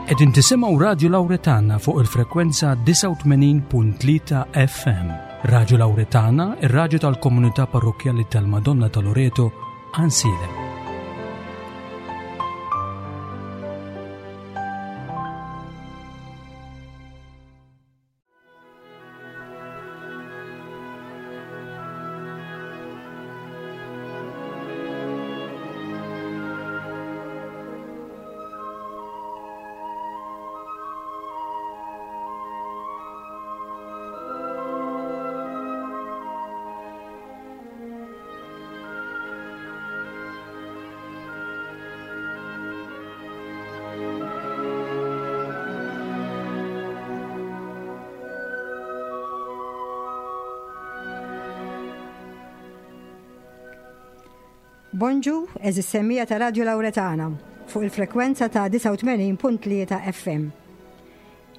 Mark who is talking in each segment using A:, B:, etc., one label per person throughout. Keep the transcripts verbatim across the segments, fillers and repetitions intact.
A: Qegħdin tisimgħu Radio Lauretana fuq il-frekwenza disgħa u tmenin punt tlieta F M. Radio Lauretana, ir-radju tal-Komunità Parrokkjali tal-Madonna ta' Loreto, Għajnsielem.
B: Bonġu, eżis semmija ta' Radio Lauretana fuq il-frekwenza ta' disgħa u tmenin punt tlieta F M.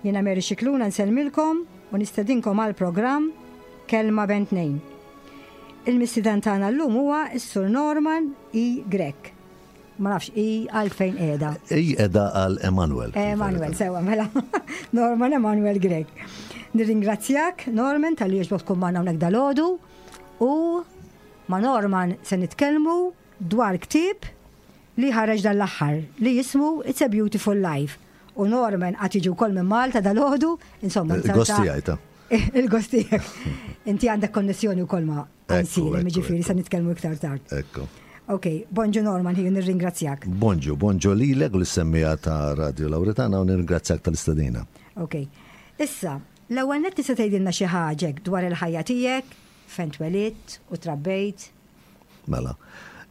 B: Jiena Mary Scicluna nsellmilkom u nistedinkom għal programm Kelma Bejn Tnejn. Il-mistieden tagħna llum huwa s-Sur Norman E. Grech. Ma nafx I għalfejn qiegħda.
C: I qiegħda għal Emanuel.
B: Emanuel, sewa, mela. Norman Emanuel Grech. Nirringrazzjak, Norman, tal-li jogħġbok tkun magħna hawnhekk dalgħodu u ma' Norman se nitkellmu dwar ktieb li ħareġ dan l-aħħar li jismu It's a Beautiful Life. U Norman qatt jiġi wkoll minn Malta dalgħodu, insomma,
C: Il-gost
B: ta'
C: tiegħi ta'.
B: Il-gost tiegħek. Inti għandek konnessjoni wkoll ma'
C: Ekku,
B: Għajnsielem,
C: ekku,
B: jiġifieri
C: ekku.
B: se nitkellmu iktar tard.
C: Ekku.
B: Ok, bonġu Norman, ħiju nirringrazzjak.
C: Bonġu, bonġu lilek u l-semmija ta' Radio Lauretana u nirringrazzjak tal-istedina.
B: Ok, issa, l-ewwel nett tista' tgħidilna xi ħaġa dwar il-ħajja tiegħek, fejn twelidt u trabbejt.
C: Mela.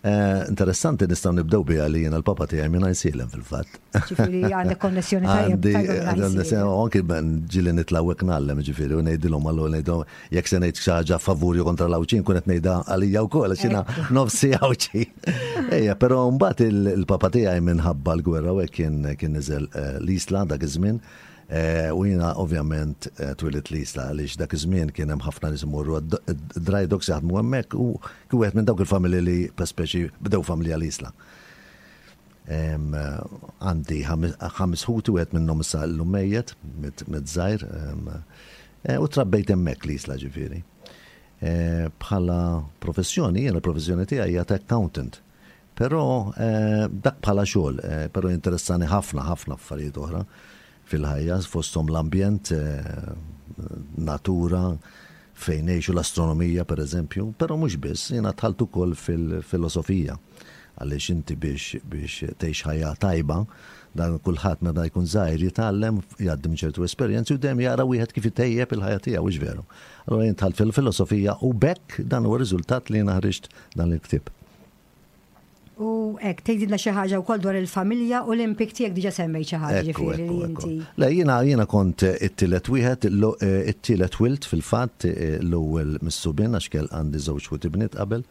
C: Eh, interessanti nistgħu nibdew biha li jiena l-papa tiegħi minn Għajnsielem fil-fatt.
B: Ġifieri għandek konnessjoni tajjeb
C: Għandi,
B: tajjeb minn
C: għandi
B: Għajnsielem.
C: konnessjoni, u anki ben ġieli nitlgħu hekk ngħallem, ġifieri, u ngħidilhom allura ngħidilhom jekk se ngħid xi ħaġa favur jew kontra l-Għawdxin, kun qed ngħidha għalija wkoll għax jiena
B: Ekku.
C: nofsi Għawdxi. Ejja, però mbagħad il-, il-papa tiegħi minħabba l-gwerra u hekk kien, kien niżel, eh, l-Isla dak iż-żmien. Eh, u jiena ovvjament, eh, twilit l-Isla għaliex dak iż-żmien kien hemm ħafna nies imorru għad-d-, dry docks jaħdmu hemmhekk u kien wieħed minn dawk il-familji li per speċi bdew familja l-Isla. Em, għandi ħames, ħames ħuti, wieħed minnhom issa llum mejjet, mit-, mit żgħir, em, eh, u trabbejt hemmhekk l-Isla ġifieri. Eh, bħala professjoni, jiena l-professjoni tiegħi hija ta' accountant. Però, eh, dak bħala xogħol, eh, però interessani ħafna, ħafna affarijiet oħra fil-ħajja, fosthom l-ambjent, eh, natura, fejn ngħixu l-astronomija per eżempju, però mhux biss, jiena dħalt ukoll fil-filosofija, għaliex inti biex, biex tgħix ħajja tajba, dan kulħadd meta jkun żgħir jitgħallem, jgħaddi minn ċertu esperjenzi u dejjem jara wieħed kif itejjeb il-ħajja tiegħu, hux veru. Allura jien dħalt fil-filosofija u bekk dan huwa riżultat li jiena ħriġt dan il-ktieb.
B: U hekk, tgħidilna xi ħaġa wkoll dwar il-familja u l-impik tiegħek diġà semmejt xi ħaġa,
C: Ekku,
B: ġifieri li
C: ekku, ekku.
B: inti.
C: Le, jiena, jiena kont it-tielet wieħed, l-, eh, it-tielet wilt fil-fatt, eh, l-ewwel mis-subien għax kell għandi żewġ ħut ibniet qabel.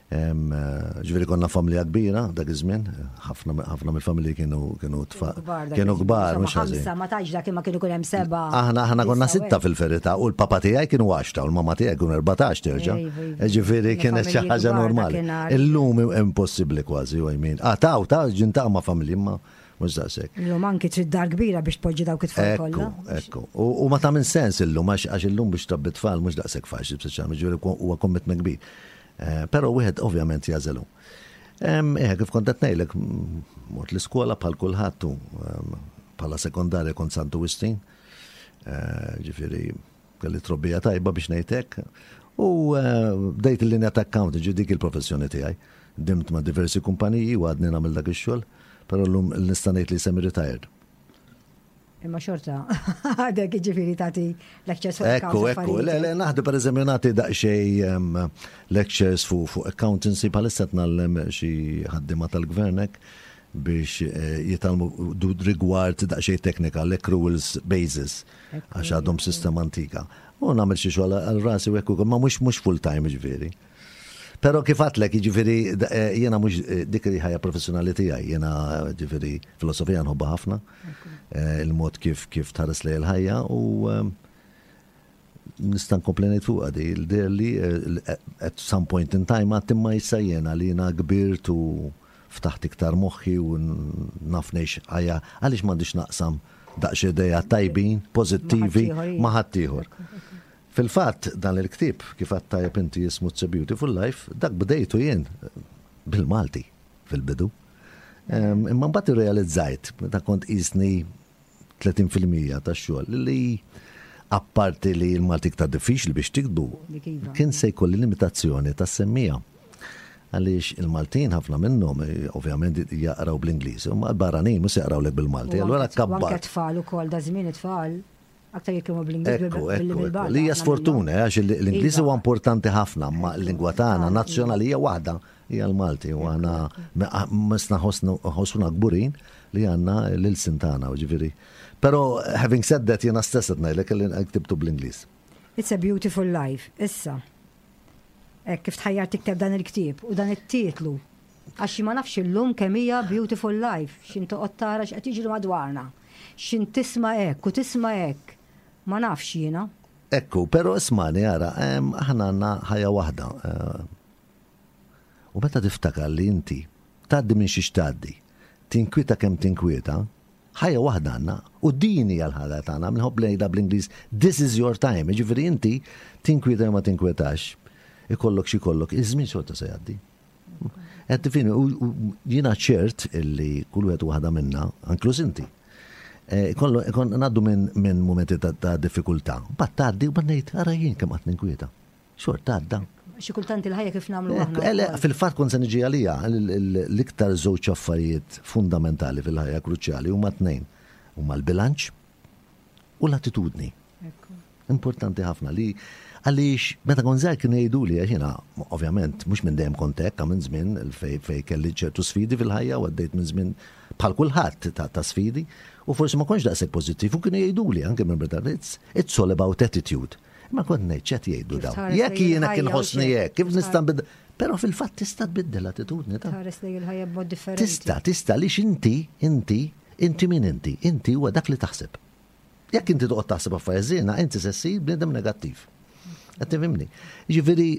C: Em, eh, ġifieri konna familja kbira dak iż-żmien, ħafna, ħafna mill-familji kienu, kienu tfa-,
B: Kienu kbar dak
C: kienu
B: iż-żmien,
C: kbar,
B: insomma,
C: mhux ħażin.
B: ħamsa, ma tgħidx dak imma kienu jkun hemm seba'.
C: Aħna, aħna konna
B: Issa,
C: sitta
B: hekk.
C: fil-verità u l-papa tiegħi kienu għaxta u l-mama tiegħi kienu erbatax terġa'.
B: Ejva, ejva.
C: Ġifieri
B: Kienu
C: kienet xi
B: familji
C: ħaġa
B: kbar
C: normali.
B: dakinhar.
C: Illum impossibbli kważi, u I mean. Ah, taw, taw, ġinta ma' familji, imma mhux daqshekk.
B: Illum anki trid dar kbira biex tpoġġi dawk it-tfal
C: Ekku,
B: kollha.
C: ekku. U, u ma tagħmel sens illum, għax, għax illum biex trabbi tfal mhux daqshekk faċli, speċjalment, ġifieri huwa commitment kbir. Eh, però wieħed ovvjament jażelu. Em, eh, kif kont qed ngħidlek, m-, mort l-iskola bħal kulħadd u, em, bħala sekondarja kont Santu Wistin. Eh, ġifieri kelli trobbija tajba biex ngħid hekk. U, eh, bdejt il-linja ta' accounting, ġi dik il-professjoni tiegħi. Dimt ma' diversi kumpaniji u għadni nagħmel dak ix-xogħol, però llum nista' ngħid li semi retired.
B: Imma xorta, għadek ġifieri tagħti lectures fuq
C: Ekku,
B: accounts
C: ekku.
B: affarijiet.
C: Le, le, naħdu per eżempju nagħti daqsxejn, em, lectures fuq, fuq accountancy, bħalissa qed ngħallem xi ħaddiema tal-gvern hekk biex, eh, jitgħallmu du-, rigward daqsxejn teknika, l-accruals basis,
B: Ekku,
C: għax għadhom sistema antika. U nagħmel xi xogħol għal rasi u hekk ukoll, ma mhux, mhux full time ġifieri. Però kif għadtlek, jiġifieri, da-, eh, jiena mhux, eh, dik li ħajja professjonali tiegħi, jiena ġifieri filosofija nħobbha ħafna, eh, il-mod kif, kif tħares lejn il-ħajja u, ehm, nista' nkompli ngħid fuqha di, l-deher li, eh, l-, eh, at some point in time għad imma issa jiena li jiena kbirt u Ftaħt iktar moħħi u naf ngħix ħajja, għaliex m'għandix naqsam daqs ideat tajbin, pozittivi ma' ħaddieħor. Fil-fatt, dan il-ktieb, kif għedt tajjeb inti, jismu It's a Beautiful Life, dak bdejtu jien bil-Malti fil-bidu. Imma mbagħad irrealizzajt, meta kont qisni tletin fil-mija tax-xogħol, li apparti li l-Malti iktar diffiċli biex tiktbu,
B: iva.
C: kien se jkolli limitazzjoni tas-semmiegħa. Għaliex il-Maltin ħafna minnhom eh, ovvjament jaqraw bl-Ingliż, imma l-barranin mhux jaqrawlek bil-Malti. Allura
B: kabbar. Anke tfal ukoll, da żmien it-tfal aktar jitkellmu bl-Ingliż.
C: Ekku, ekku, Li hija sfortuna, eh, għax l-Ingliż huwa iva. importanti ħafna, ma l-lingwa tagħna nazzjonali hija waħda, hija l-Malti, u aħna misna ħossuna kburin li għandna l-ilsien tagħna, ġifieri. Però having said that, jiena stess qed ngħidlek li ktibtu bl-Ingliż.
B: It's a Beautiful Life. Issa, kif tħajjar tikteb dan il-ktieb u dan it-titlu? Għax ma nafx illum kemm hija beautiful life, x'ħin toqgħod tara x'qed jiġri madwarna. X'ħin tisma' hekk u tisma' hekk. Ma nafx jiena.
C: Ekku, però ismagħni ara, aħna għandna ħajja waħda. Eh, u meta tiftakar li inti tgħaddi minn xiex tgħaddi, tinkwieta kemm tinkwieta, ħajja waħda għandna u din hija l-ħajja tagħna, minħobb ngħidha bl-Ingliż, "This is your time", ġifieri inti tinkwieta ma tinkwetax, ikollok xi kollok, iż-żmien xorta se jgħaddi. Qed tifhimni, u jiena ċert illi kull wieħed waħda minna, inkluż inti, eh, kollu ngħaddu minn momenti ta' diffikultà. But tgħaddi u ngħid, ara jien kemm qatt ninkwieta. Xorta għadda.
B: Xi kultant il-ħajja kif nagħmlu aħna.
C: Fil-fatt kont se niġi għalija, l-iktar żewġ affarijiet fundamentali fil-ħajja, kruċjali, huma tnejn. Huma l-bilanċ u l-attitudni. Importanti ħafna li għaliex meta kont żgħir kienu jgħidu li, għax jiena ovvjament mhux minn dejjem kont hekk, minn żmien fej fej kelli ċertu sfidi fil-ħajja u għaddejt minn żmien bħal kulħadd ta', ta sfidi u forsi ma kontx daqshekk pożittiv u kienu jgħidu li anke minn Britannia, it's, it's all about attitude. Ma kont ngħid, x'qed jgħidu dawn? Jekk jiena kien ħossni hekk, kif nista' nbiddel? Però fil-fatt tista' tbiddel l-attitudni ta'
B: Tħares lejn il-ħajja b'mod differenti.
C: Tista', tista' li inti, inti, inti min inti, inti huwa dak li taħseb. Jekk inti toqgħod taħseb affarijiet ħżiena, inti se ssir bniedem negattiv. Qed tifhimni? Jiġifieri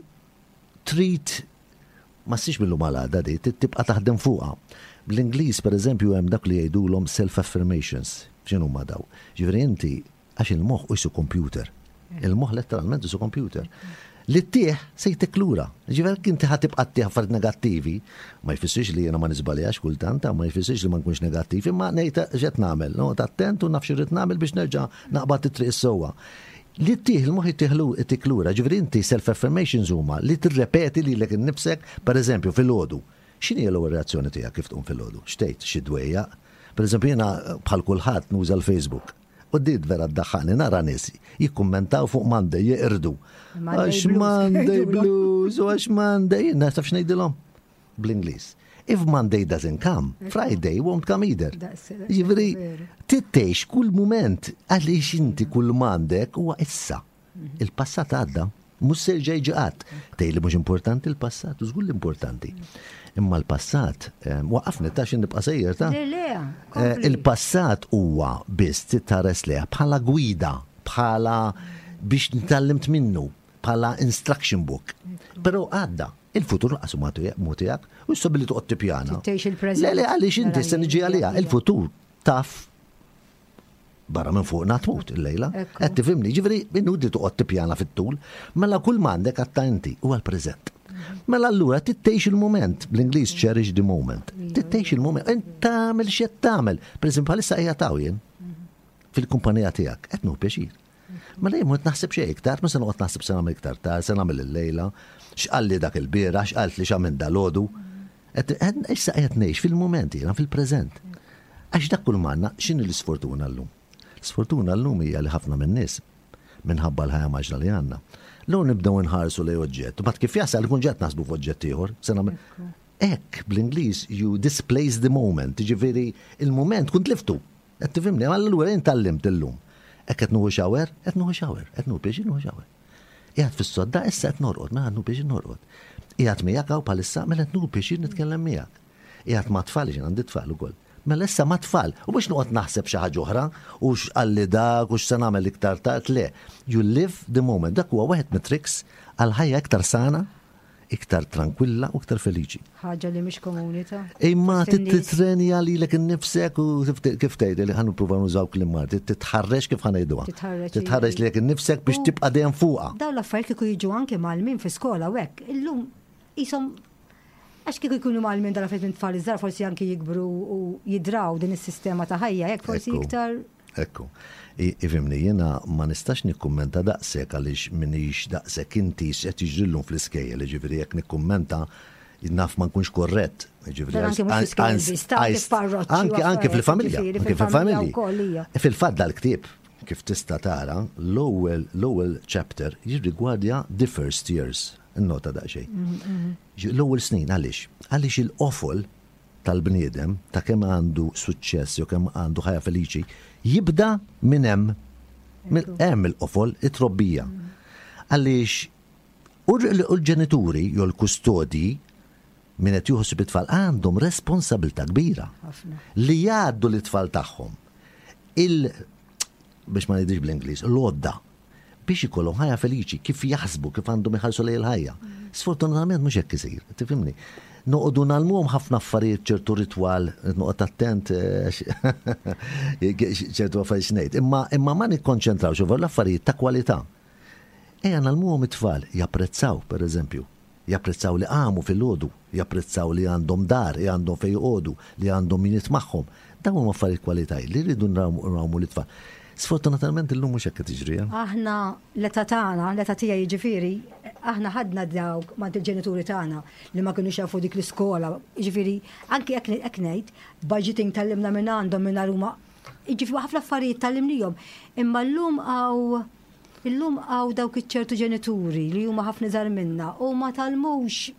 C: trid ma ssirx mill-lum għal għada di, tibqa' taħdem fuqha. Bl-Ingliż, pereżempju, hemm dak li jgħidulhom self-affirmations. X'inhu ma daw? Ġifieri inti, għax il-moħħ qisu computer. Il-moħħ letteralment qisu computer. Li ttih se jtik lura. Ġifieri inti ħa tibqa' ttih affarijiet negattivi, ma jfissirx li jiena ma niżbaljax kultant, ma jfissirx li ma nkunx negattivi, ma ngħid x'qed nagħmel, noqgħod attent u naf x'irrid nagħmel biex nerġa' naqbad it-triq is-sewwa. Li ttih il-moħħ jtik lura, ġifieri inti self-affirmations huma li tirrepeti lilek innifsek, per eżempju, fil-għodu. X'inhi l-ewwel reazzjoni tiegħek kif tqum fil-għodu? X'tgħid xi dwejjaq? Per eżempju, jiena bħal kulħadd nuża l-Facebook. U din vera ddaħħakni, nara nies jikkummentaw fuq Monday, jeqirdu. Għax Monday blues, u għax Monday, naf x'ngħidilhom? Bl-Ingliż. "If Monday doesn't come, Friday won't come either." Ġifieri, tgħix kull moment, għaliex inti kull m'għandek huwa issa. Il-passat għadda, mhux se jerġa' jiġi qatt. Tgħid li mhux importanti il-passat, u żgur importanti. Imma l-passat, eh, waqafni ta' xin nibqa' sejjer ta' eh, Il-passat huwa biss titħares lejha bħala gwida, bħala biex nitgħallem minnu, bħala instruction book. Però għadda, il-futur lanqas mhu tiegħek, u issa billi toqgħod tippjana. Le, le, għaliex inti se niġi għalija, il-futur taf barra minn fuq tmut il-lejla. Qed tifhimni, ġifieri inutli toqgħod tippjana fit-tul, mela kull m'għandek għatta inti huwa l-preżent. Mela allura tgħix il-moment, bl-Ingliż "cherish the moment". Tgħix il-moment, int tagħmel x'qed tagħmel. Per eżempju, bħalissa qiegħed hawn jien fil-kumpanija tiegħek, qed nieħu pjaċir. Mela jien mhux naħseb xejn iktar, ma se noqgħod naħseb se nagħmel iktar tard, se nagħmel il-lejla, x'qalli dak il-bieraħ, x'qalt li x'għamil dalgħodu. Issa qiegħed ngħix fil-moment jiena, fil-preżent. Għax dak kull m'għandna. X'inhi l-isfortuna llum? L-isfortuna llum hija li ħafna minn nies minħabba l-ħajja mgħaġġla li għandna. L nibdew nħarsu lejn oġġett, u mbagħad kif jasal ikun ġat naħsbu f'oġġett ieħor. Hekk, bl-Ingliż, "you displace the moment", ġifieri il-moment kont tliftu. Qed tifhimni, allura jien tgħallimt illum. Hekk qed nieħu shower, qed nieħu shower, qed nieħu pjaċir nieħu shower. Qiegħed fis-sodda issa qed norqod, mela nieħu pjaċir norqod. Qiegħed miegħek hawn bħalissa, mela qed nieħu pjaċir nitkellem miegħek. Qiegħed ma' tfal, jien għandi tfal ukoll. Mela issa ma' tfal, u biex noqgħod naħseb xi ħaġa oħra, u x'qalli dak, u x'se nagħmel iktar tard, le. You live the moment. Dak huwa wieħed mit-tricks għal ħajja iktar sana, Iktar tranquilla u iktar feliċi.
B: Ħaġa li mhix komuni ta'
C: Imma
B: fost in-nies.
C: Titrenja lilek innifsek u kif tgħid li ħa nippruva nużaw kliem Malti, titħarreġ kif ħa ngħiduha.
B: Titħarreġ,
C: Titħarreġ lilek innifsek biex
B: U-
C: tibqa' dejjem fuqha.
B: Dawn l-affarijiet kieku jiġu anke mgħallmin fi skola u hekk. Illum jisom għax kieku jkunu mgħallmin dal-affarijiet minn tfal iżgħar, forsi anke jikbru u jidraw din is-sistema ta' ħajja, hekk forsi
C: Ekku.
B: iktar.
C: Ekku. I- Ifhimni, jiena ma nistax nikkummenta daqshekk għaliex minix daqshekk inti x'qed jiġrilhom fl-iskejjel, jiġifieri jekk nikkummenta naf ma nkunx korrett. Jiġifieri
B: Dan anke mhux fl-iskejjel biss, ta' anke f'parroċċi u
C: Anke anke
B: affarijiet,
C: fil-familja,
B: jiġifieri,
C: anke
B: fil-familja
C: fil-familji.
B: wkoll hija.
C: Fil-fatt dal-ktieb, kif tista' tara, l-ewwel l-ewwel chapter jirrigwardja the first years. Innota daqsxejn. Ġi- L-ewwel snin għaliex? Għaliex il-qofol tal-bniedem ta' kemm għandu suċċess jew kemm għandu ħajja feliċi jibda minn hemm. Minn hemm il-qofol, it-trobbija. Għaliex u l- u l-ġenituri jew l-kustodi min qed jieħu ħsieb it-tfal għandhom responsabilità kbira
B: Ħafna.
C: li jgħaddu l-tfal tagħhom il biex ma ngħidix bl-Ingliż, l-għodda biex ikollhom ħajja feliċi, kif jaħsbu, kif għandhom iħarsu lejn il-ħajja. Sfortunatament mhux hekk isir, tifhimni. Noqogħdu ngħallmuhom ħafna affarijiet, ċertu ritwal, noqgħod attent eh, ċertu affarijiet x'ngħid, imma imma ma nikkonċentrawx fuq l-affarijiet ta' kwalità. Ejja ngħallmuhom it-tfal japprezzaw, per eżempju, japprezzaw li qamu fil-għodu, japprezzaw li għandhom dar, li għandhom fejn joqogħdu, li għandhom min magħhom. Dawn huma affarijiet kwalitajiet li rridu nrawmu lit-tfal. Sfortunatament illum mhux hekk qed tiġri. eh?
B: Aħna l-età tagħna, l-età tiegħi jiġifieri, aħna ħadna dawk ma' il-ġenituri tagħna li ma kinux jafu dik l-iskola. Jiġifieri, anki jekk hekk ngħid, budgeting tgħallimna minn għandhom minn huma. Jiġifieri ħafna affarijiet tgħallimnihom. Imma llum hawn illum hawn dawk iċ-ċertu ġenituri li huma ħafna żgħar minna u ma tgħallmux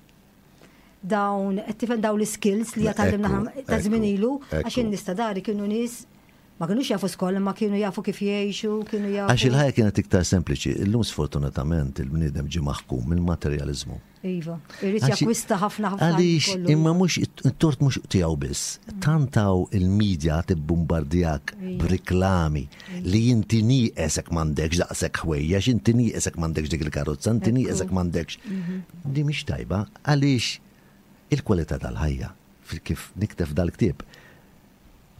B: dawn, qed tifhem, dawn l-skills li tgħallimna
C: Ekku,
B: ta' żmien
C: ekku,
B: ilu, għax
C: ekku.
B: in-nies ta' dari kienu nies ma kinux jafu skola, ma kienu jafu kif jgħixu, kienu jafu.
C: Għax il-ħajja kienet iktar sempliċi. Illum sfortunatament il-bniedem ġie maħkum mill-materjalizmu.
B: Iva, irid
C: Għax-
B: jakkwista ħafna ħafna.
C: Għaliex
B: kollu.
C: imma mhux it-tort mhux tiegħu biss. Tantaw il-medja tibbombardjak b'riklami li inti nieqesek m'għandekx daqshekk ħwejjex, inti nieqesek m'għandekx dik il-karozza, inti nieqesek m'għandekx. Di mhix tajba għaliex il-kwalità tal-ħajja fil- kif nikteb dal-ktieb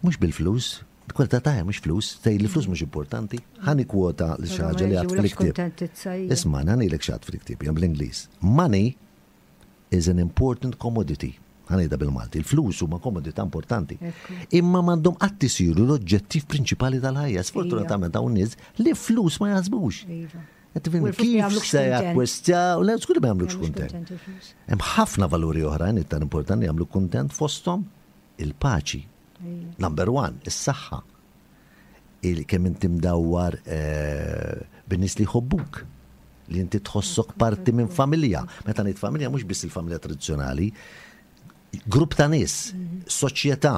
C: mhux bil-flus, il-kwalità ta' mhux flus, tgħid li flus mhux importanti. Ħa nikkwota li xi ħaġa li
B: Ma
C: għad
B: jġibulekx
C: fil-ktieb.
B: kuntentizza, hija.
C: Isma', ħa ngħidlek x'għedt fil-ktieb, jien bl-Ingliż. "Money is an important commodity." Ħa ngħidha bil-Malti. Il-flus huma komodità importanti.
B: Ekku.
C: Imma m'għandhom qatt isiru l-oġġettiv prinċipali tal-ħajja. Sfortunatament hawn nies li flus ma jaħsbux.
B: Iva.
C: Qed tifhimni,
B: U l-flus ma
C: kif
B: jagħmlukx
C: se
B: kuntent.
C: jakkwistjaw, le, żgur li ma jagħmlukx
B: Jagħmlux
C: kuntent.
B: kuntent il-flus.
C: Hemm ħafna valuri oħrajn iktar importanti jagħmlu kuntent, fosthom il-paċi.
B: Ija.
C: Number one, is-saħħa. Il kemm inti mdawwar eh, bin-nies li jħobbuk, li inti tħossok parti minn familja. Meta ngħid familja mhux biss il-familja tradizzjonali, grupp ta' nies, soċjetà.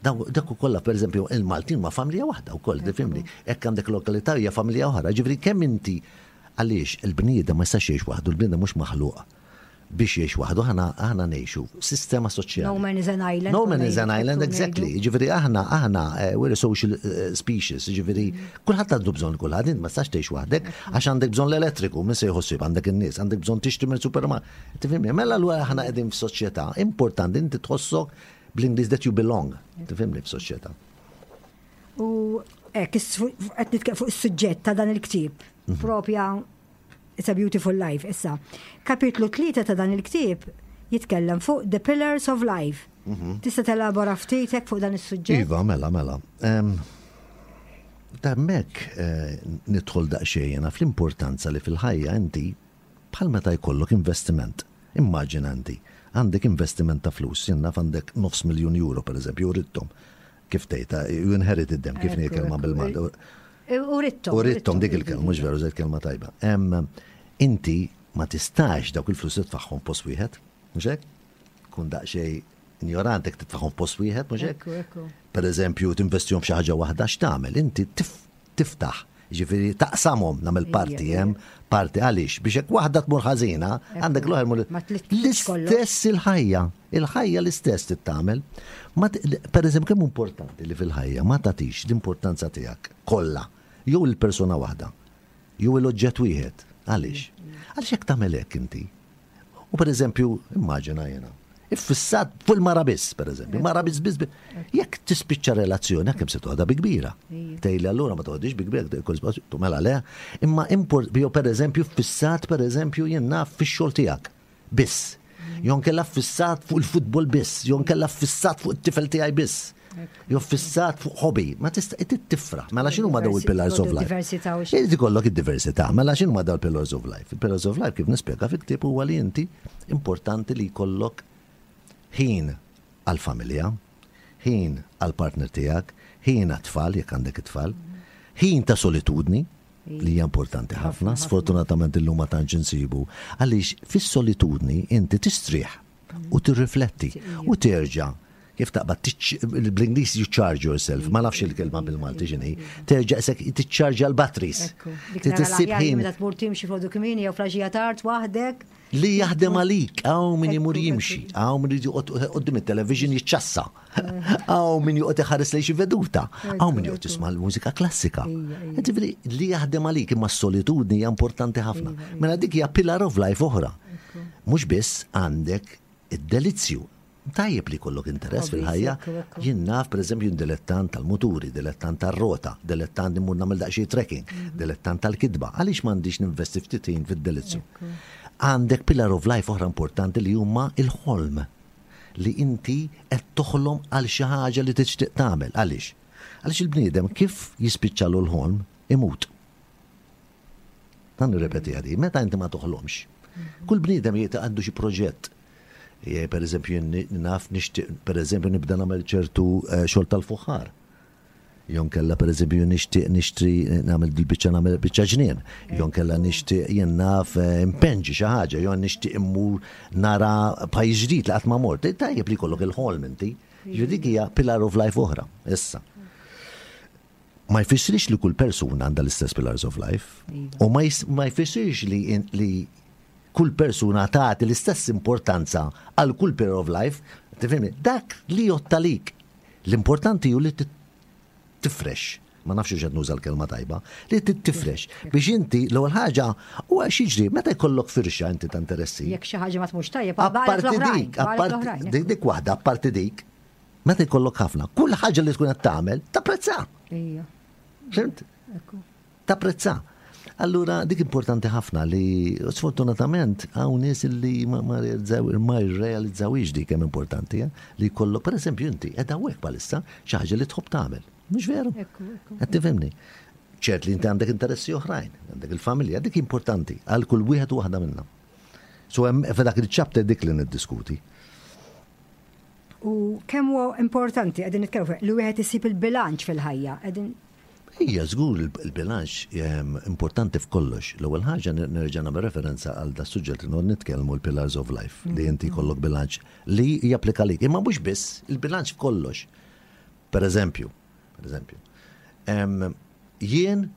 C: Daw- Dak ukoll, per eżempju, il-Maltin ma familja waħda wkoll, tifhimni. Hekk għandek lokalità hija familja oħra. Ġifieri kemm inti għaliex il-bniedem ma jistax jgħix waħdu, il-bniedem mhux maħluq biex jgħix waħdu, aħna aħna ngħixu sistema soċjali.
B: No man is an island.
C: No man is an island, exactly. Ġifieri aħna, aħna, eh, we're a social eh, species, ġifieri, kulħadd għandu bżonn kulħadd, int ma tistax tgħix waħdek, għax għandek bżonn l-elettriku, min se jħossib, għandek in-nies, għandek bżonn tixtri minn supermarket. Tifhimni, mela allura aħna qegħdin f'soċjetà, importanti inti tħossok bl-Ingliż that you belong, tifhimni, f'soċjetà.
B: U hekk, qed nitkellem fuq is-suġġett ta' dan il-ktieb.
C: Mhm.
B: Propja It's a Beautiful Life. Issa, kapitlu tlieta ta' dan il-ktieb jitkellem fuq The Pillars of Life. Tista' telabora ftit hekk fuq dan is-suġġett?
C: Mhm. Iva, mela, mela. Em, Hemmhekk eh, nidħol daqsxejn jiena fl-importanza li fil-ħajja inti bħal meta jkollok investiment. Immaġina inti għandek investiment ta' flus, jien naf għandek nofs miljun euro per eżempju, urittom. Kif tgħidha, you inherited them, kif
B: Ekku,
C: ngħid kelma
B: ekku.
C: bil-Malti.
B: Urittom.
C: Urittom dik il-kelma, mhux veru żejt kelma tajba. Em, Inti ma tistax dawk il-flus titfagħhom post wieħed, mhux hekk? Kun daqsxejn ignorant jekk titfagħhom post wieħed, mhux hekk?
B: Ekku, ekku.
C: Per eżempju, tinvestihom f'xi ħaġa waħda, x'tagħmel? Inti tif- tiftaħ, ġifieri taqsamhom, nagħmel parti
B: Ija,
C: hemm, parti għaliex biex hekk waħda tmur ħażina, għandek l-oħra mur.
B: Ma tliftx kollox.
C: L-istess il-ħajja, il-ħajja l-istess tittamel. Ma t- Per eżempju, kemm importanti li fil-ħajja ma tagħtix l-importanza tiegħek kollha, jew il-persuna waħda, jew l-oġġett wieħed. Għaliex? Għaliex jekk tagħmel hekk inti, U per eżempju, immaġina jena, iffissat fuq il-mara biss, per eżempju, mara biss biss. Jekk tispiċċa relazzjoni, kemm se toħodha bi kbira. Tgħidli allura ma toħodix bi kbira, mela le, imma import, jew per eżempju fissat per eżempju jien naf fix-xogħol tiegħek. Biss. Jew inkella fissat fuq il-futbol biss, jew inkella fissat fuq it-tifel tiegħi biss. Jew fissat fuq hobby, ma tista' tifraħ. Mela x'inhu ma daw il-pillars of life? Irid ikollok id-diversità. Mela x'inhu ma daw il-pillars of life? Il-pillars of life kif nispjega fil-ktieb huwa li inti importanti li jkollok ħin għal-familja, ħin għal-partner tiegħek, ħin għat-tfal jekk għandek it-tfal, ħin ta' solitudni, li hija importanti ħafna, sfortunatament illum ma tantx insibu, għaliex fis-solitudni inti tistrieħ u tirrifletti u terġa' kif taqbad bl-Ingliż you charge yourself, ma nafx il-kelma bil-Malti x'inhi, terġa' isek tiċċarġa l-batteries.
B: Tissib ħin. Meta tmur timxi filgħodu kmieni jew filgħaxija tard waħdek.
C: Li jaħdem għalik, hawn min imur jimxi, hawn min quddiem it-television jiċċassa, hawn min joqgħod iħares lejn xi veduta, hawn min joqgħod jisma' l-mużika klassika. Ġifieri li jaħdem għalik imma s-solitudni hija importanti ħafna. Mela dik hija pillar of life oħra. Mhux biss għandek id-delizzju. Tajjeb li jkollok interess fil-ħajja. Jien naf, per eżempju, dilettant tal-muturi, dilettant tal-rota, dilettant immur nagħmel daqsxejn trekking, mhm. dilettant tal-kitba. Għaliex m'għandix ninvesti ftit ħin fid-delizzju? Għandek pillar of life oħra importanti li huma il-ħolm li inti qed toħlom għal xi ħaġa li tixtieq tagħmel. Għaliex? Għaliex il-bniedem kif jispiċċalu l-ħolm imut. Dan nirrepeti għadi, meta inti ma toħlomx. Kull bniedem jieta għandu xi proġett. Per eżempju, naf nixtieq, per eżempju, nibda nagħmel ċertu eh, xogħol tal-fuħħar. Jew inkella per eżempju nixtieq nixtri nagħmel dil-biċċa nagħmel biċċa ġnien. Jew inkella nixtieq jien naf eh, impenġi xi ħaġa, jew nixtieq immur nara pajjiż ġdid li qatt ma mort. Tajjeb li jkollok il-ħolm inti. Ġifieri dik hija pillar of life oħra. Issa. Ma jfissirx li kull persuna għandha l-istess pillars of life. U ma jfissirx li, li kull persuna tagħti l-istess importanza għal kull pillar of life. Tifhimni? Dak li jottalik. L-importanti hu li tifrex. Ma nafx x'qed nuża l-kelma tajba, li tifrex. Biex inti l-ewwel ħaġa huwa x'jiġri meta jkollok firxa inti ta' interessi.
B: Jekk xi ħaġa ma tmurx tajjeb,
C: apparti dik, apparti dik dik waħda, apparti dik, meta jkollok ħafna, kull ħaġa li tkun qed tagħmel tapprezza.
B: Ija.
C: Fhimt? Tapprezza. Allura dik importanti ħafna li sfortunatament hawn nies li ma ma realizzaw ma jirrealizzawix dik kemm importanti, eh? Li jkollok pereżempju inti qed hawnhekk bħalissa xi ħaġa li tħobb tagħmel. Mhux veru?
B: Ekku, ekku.
C: Qed tifhimni? Ċert li inti għandek interessi oħrajn, għandek il-familja, dik importanti għal kull wieħed u waħda minna. So hemm f'dak il-chapter dik li niddiskuti.
B: U kemm huwa importanti qegħdin nitkellmu fuq li wieħed isib il-bilanċ fil-ħajja. Qegħdin
C: Ija, żgur il-bilanċ ehm, importanti f'kollox. L-ewwel ħaġa nerġa' nagħmel referenza għal da suġġett li noqgħod nitkellmu l-pillars of life li inti jkollok bilanċ li japplika lik. Imma mhux biss il-bilanċ f'kollox. Per eżempju, per eżempju, ehm, jien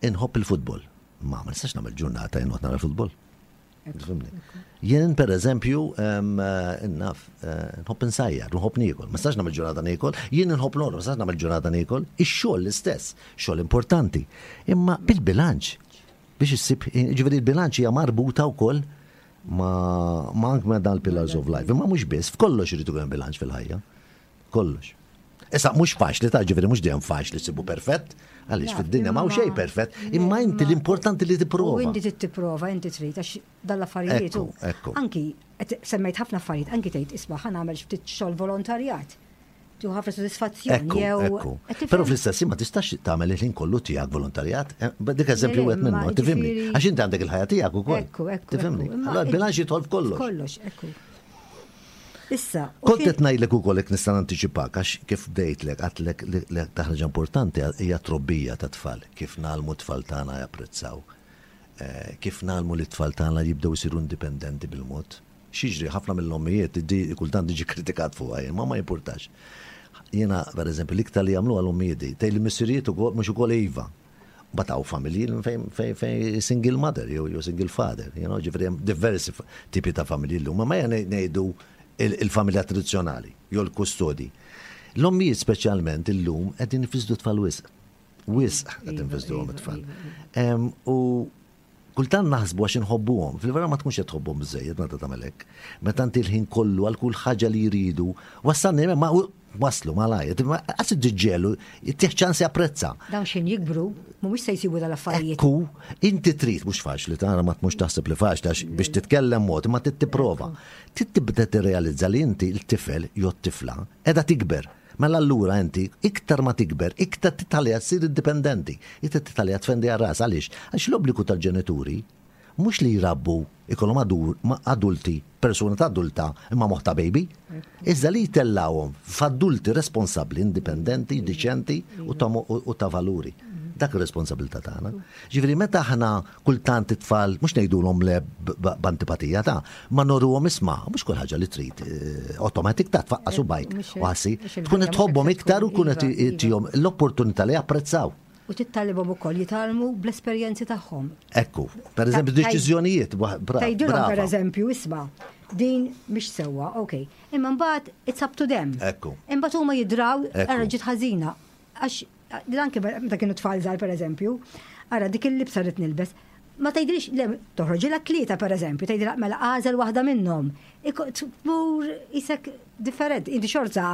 C: inħobb il-futbol. Ma ma nistax nagħmel ġurnata jien noqgħod nara l-futbol. Tifhimni? Jien per eżempju, em, eh, naf, eh, nħobb insajjar, nħobb niekol. Ma nistax nagħmel ġurnata niekol, jien nħobb norqod, ma nistax nagħmel ġurnata niekol. Ix-xogħol l-istess, xogħol importanti. Imma bil-bilanċ biex issib, ġifieri il-bilanċ hija marbuta wkoll ma ma anke ma dan il-pillars of life. Imma mhux biss, f'kollox irid ikun hemm bilanċ fil-ħajja. Kollox. Issa mhux faċli ta' ġifieri mhux dejjem faċli ssibu perfett, għaliex fid-dinja ma xejn perfett, imma inti l-importanti li
B: U
C: tipprova.
B: inti trid tipprova, inti trid għax dal-affarijiet.
C: Ekku,
B: u
C: ekku.
B: Anki qed semmejt ħafna affarijiet, anki tgħid isma' ħa nagħmel ftit xogħol volontarjat. Tu ħafna sodisfazzjon
C: Ekku,
B: jew
C: ekku.
B: qed tifhem?
C: Però fl-istess ma tistax tagħmel il-ħin kollu tiegħek volontarjat. Eh, Dik eżempju
B: Le,
C: wieħed
B: ma
C: minnu, tifhimni.
B: ġifieri-
C: Għax inti għandek il-ħajja tiegħek ukoll.
B: Ekku, ekku.
C: Tifhimni.
B: ekku. Imma
C: Allora il-bilanċ jidħol f'kollox.
B: Kollox, ekku. Issa, u
C: Kont
B: kien-
C: qed ngħidlek ukoll jekk nista' nantiċipak għax kif bdejtlek għedtlek li li ħaġa importanti hija trobbija ta' tfal, kif ngħallmu tfal tagħna japprezzaw. Eh, Kif ngħallmu li tfal tagħna jibdew isiru indipendenti bil-mod. X'jiġri ħafna mill-ommijiet di kultant diġi kritikat fuqha jien, ma ma jimpurtax. Jiena pereżempju l-iktar li jagħmlu għall-ommijiet di, tgħid li missirijiet ukoll mhux ukoll iva. Bataw familji fejn fejn fejn single mother jew jew single father, you know, ġifieri hemm diversi fa- tipi ta' familji llum, ma ma ngħidu il- il-familja tradizzjonali jew l-kustodi. L-ommijiet speċjalment illum qegħdin ifissdu tfal wisq. Wisq qed
B: Iva,
C: infissduhom
B: iva,
C: it-tfal.
B: iva,
C: Em, U Kultant naħsbu għax inħobbuhom, fil-vera ma tkunx qed tħobbhom biżejjed meta tagħmel hekk. Meta inti l-ħin kollu għal kull ħaġa li jridu, wassalni ma waslu malajr, għas ġiġġelu, tih ċans japprezza.
B: Dawn xin jikbru, mhumiex se jsibu dal-affarijiet.
C: Ekku, inti trid, mhux faċli, tara ma mhux taħseb li faċli għax biex titkellem mod, ma trid tipprova. Trid tibda tirrealizza li inti l-tifel jew t-tifla qiegħda tikber. Mela allura inti iktar ma tikber, iktar titħalliha ssir indipendenti, iktar titħalliha tfendi għal ras għaliex? Għax l-obbligu tal-ġenituri mhux li jrabbu ikollhom adulti, persuna ta' adulta imma moħħ ta' baby, iżda li jtellawhom f'adulti responsabbli, indipendenti, diċenti u ta' valuri. Dak ir-responsabilità tagħna. Ġifieri meta aħna kultant it-tfal mhux ngħidulhom le b'antipatija ta' ma noruhom isma' mhux kull ħaġa li trid automatic ta' tfaqqas u bajk u ħassi tkun qed tħobbhom iktar u tkun qed tihom l-opportunità li japprezzaw.
B: U tittalibhom ukoll jitgħallmu bl-esperjenzi tagħhom.
C: Ekku, per eżempju, deċiżjonijiet,
B: Tgħidilhom per eżempju, isma' din mhix sewwa, ok. Imma mbagħad it's up to them.
C: Ekku.
B: Imbagħad huma jidraw ara ġiet ħażina. Għax anke meta kienu tfal żgħar per eżempju, ara dik il-libsa rrid nilbes, ma tgħidilix le toħroġilha tlieta per eżempju, tgħidilha mela għażel waħda minnhom. Tmur isek differenti, inti xorta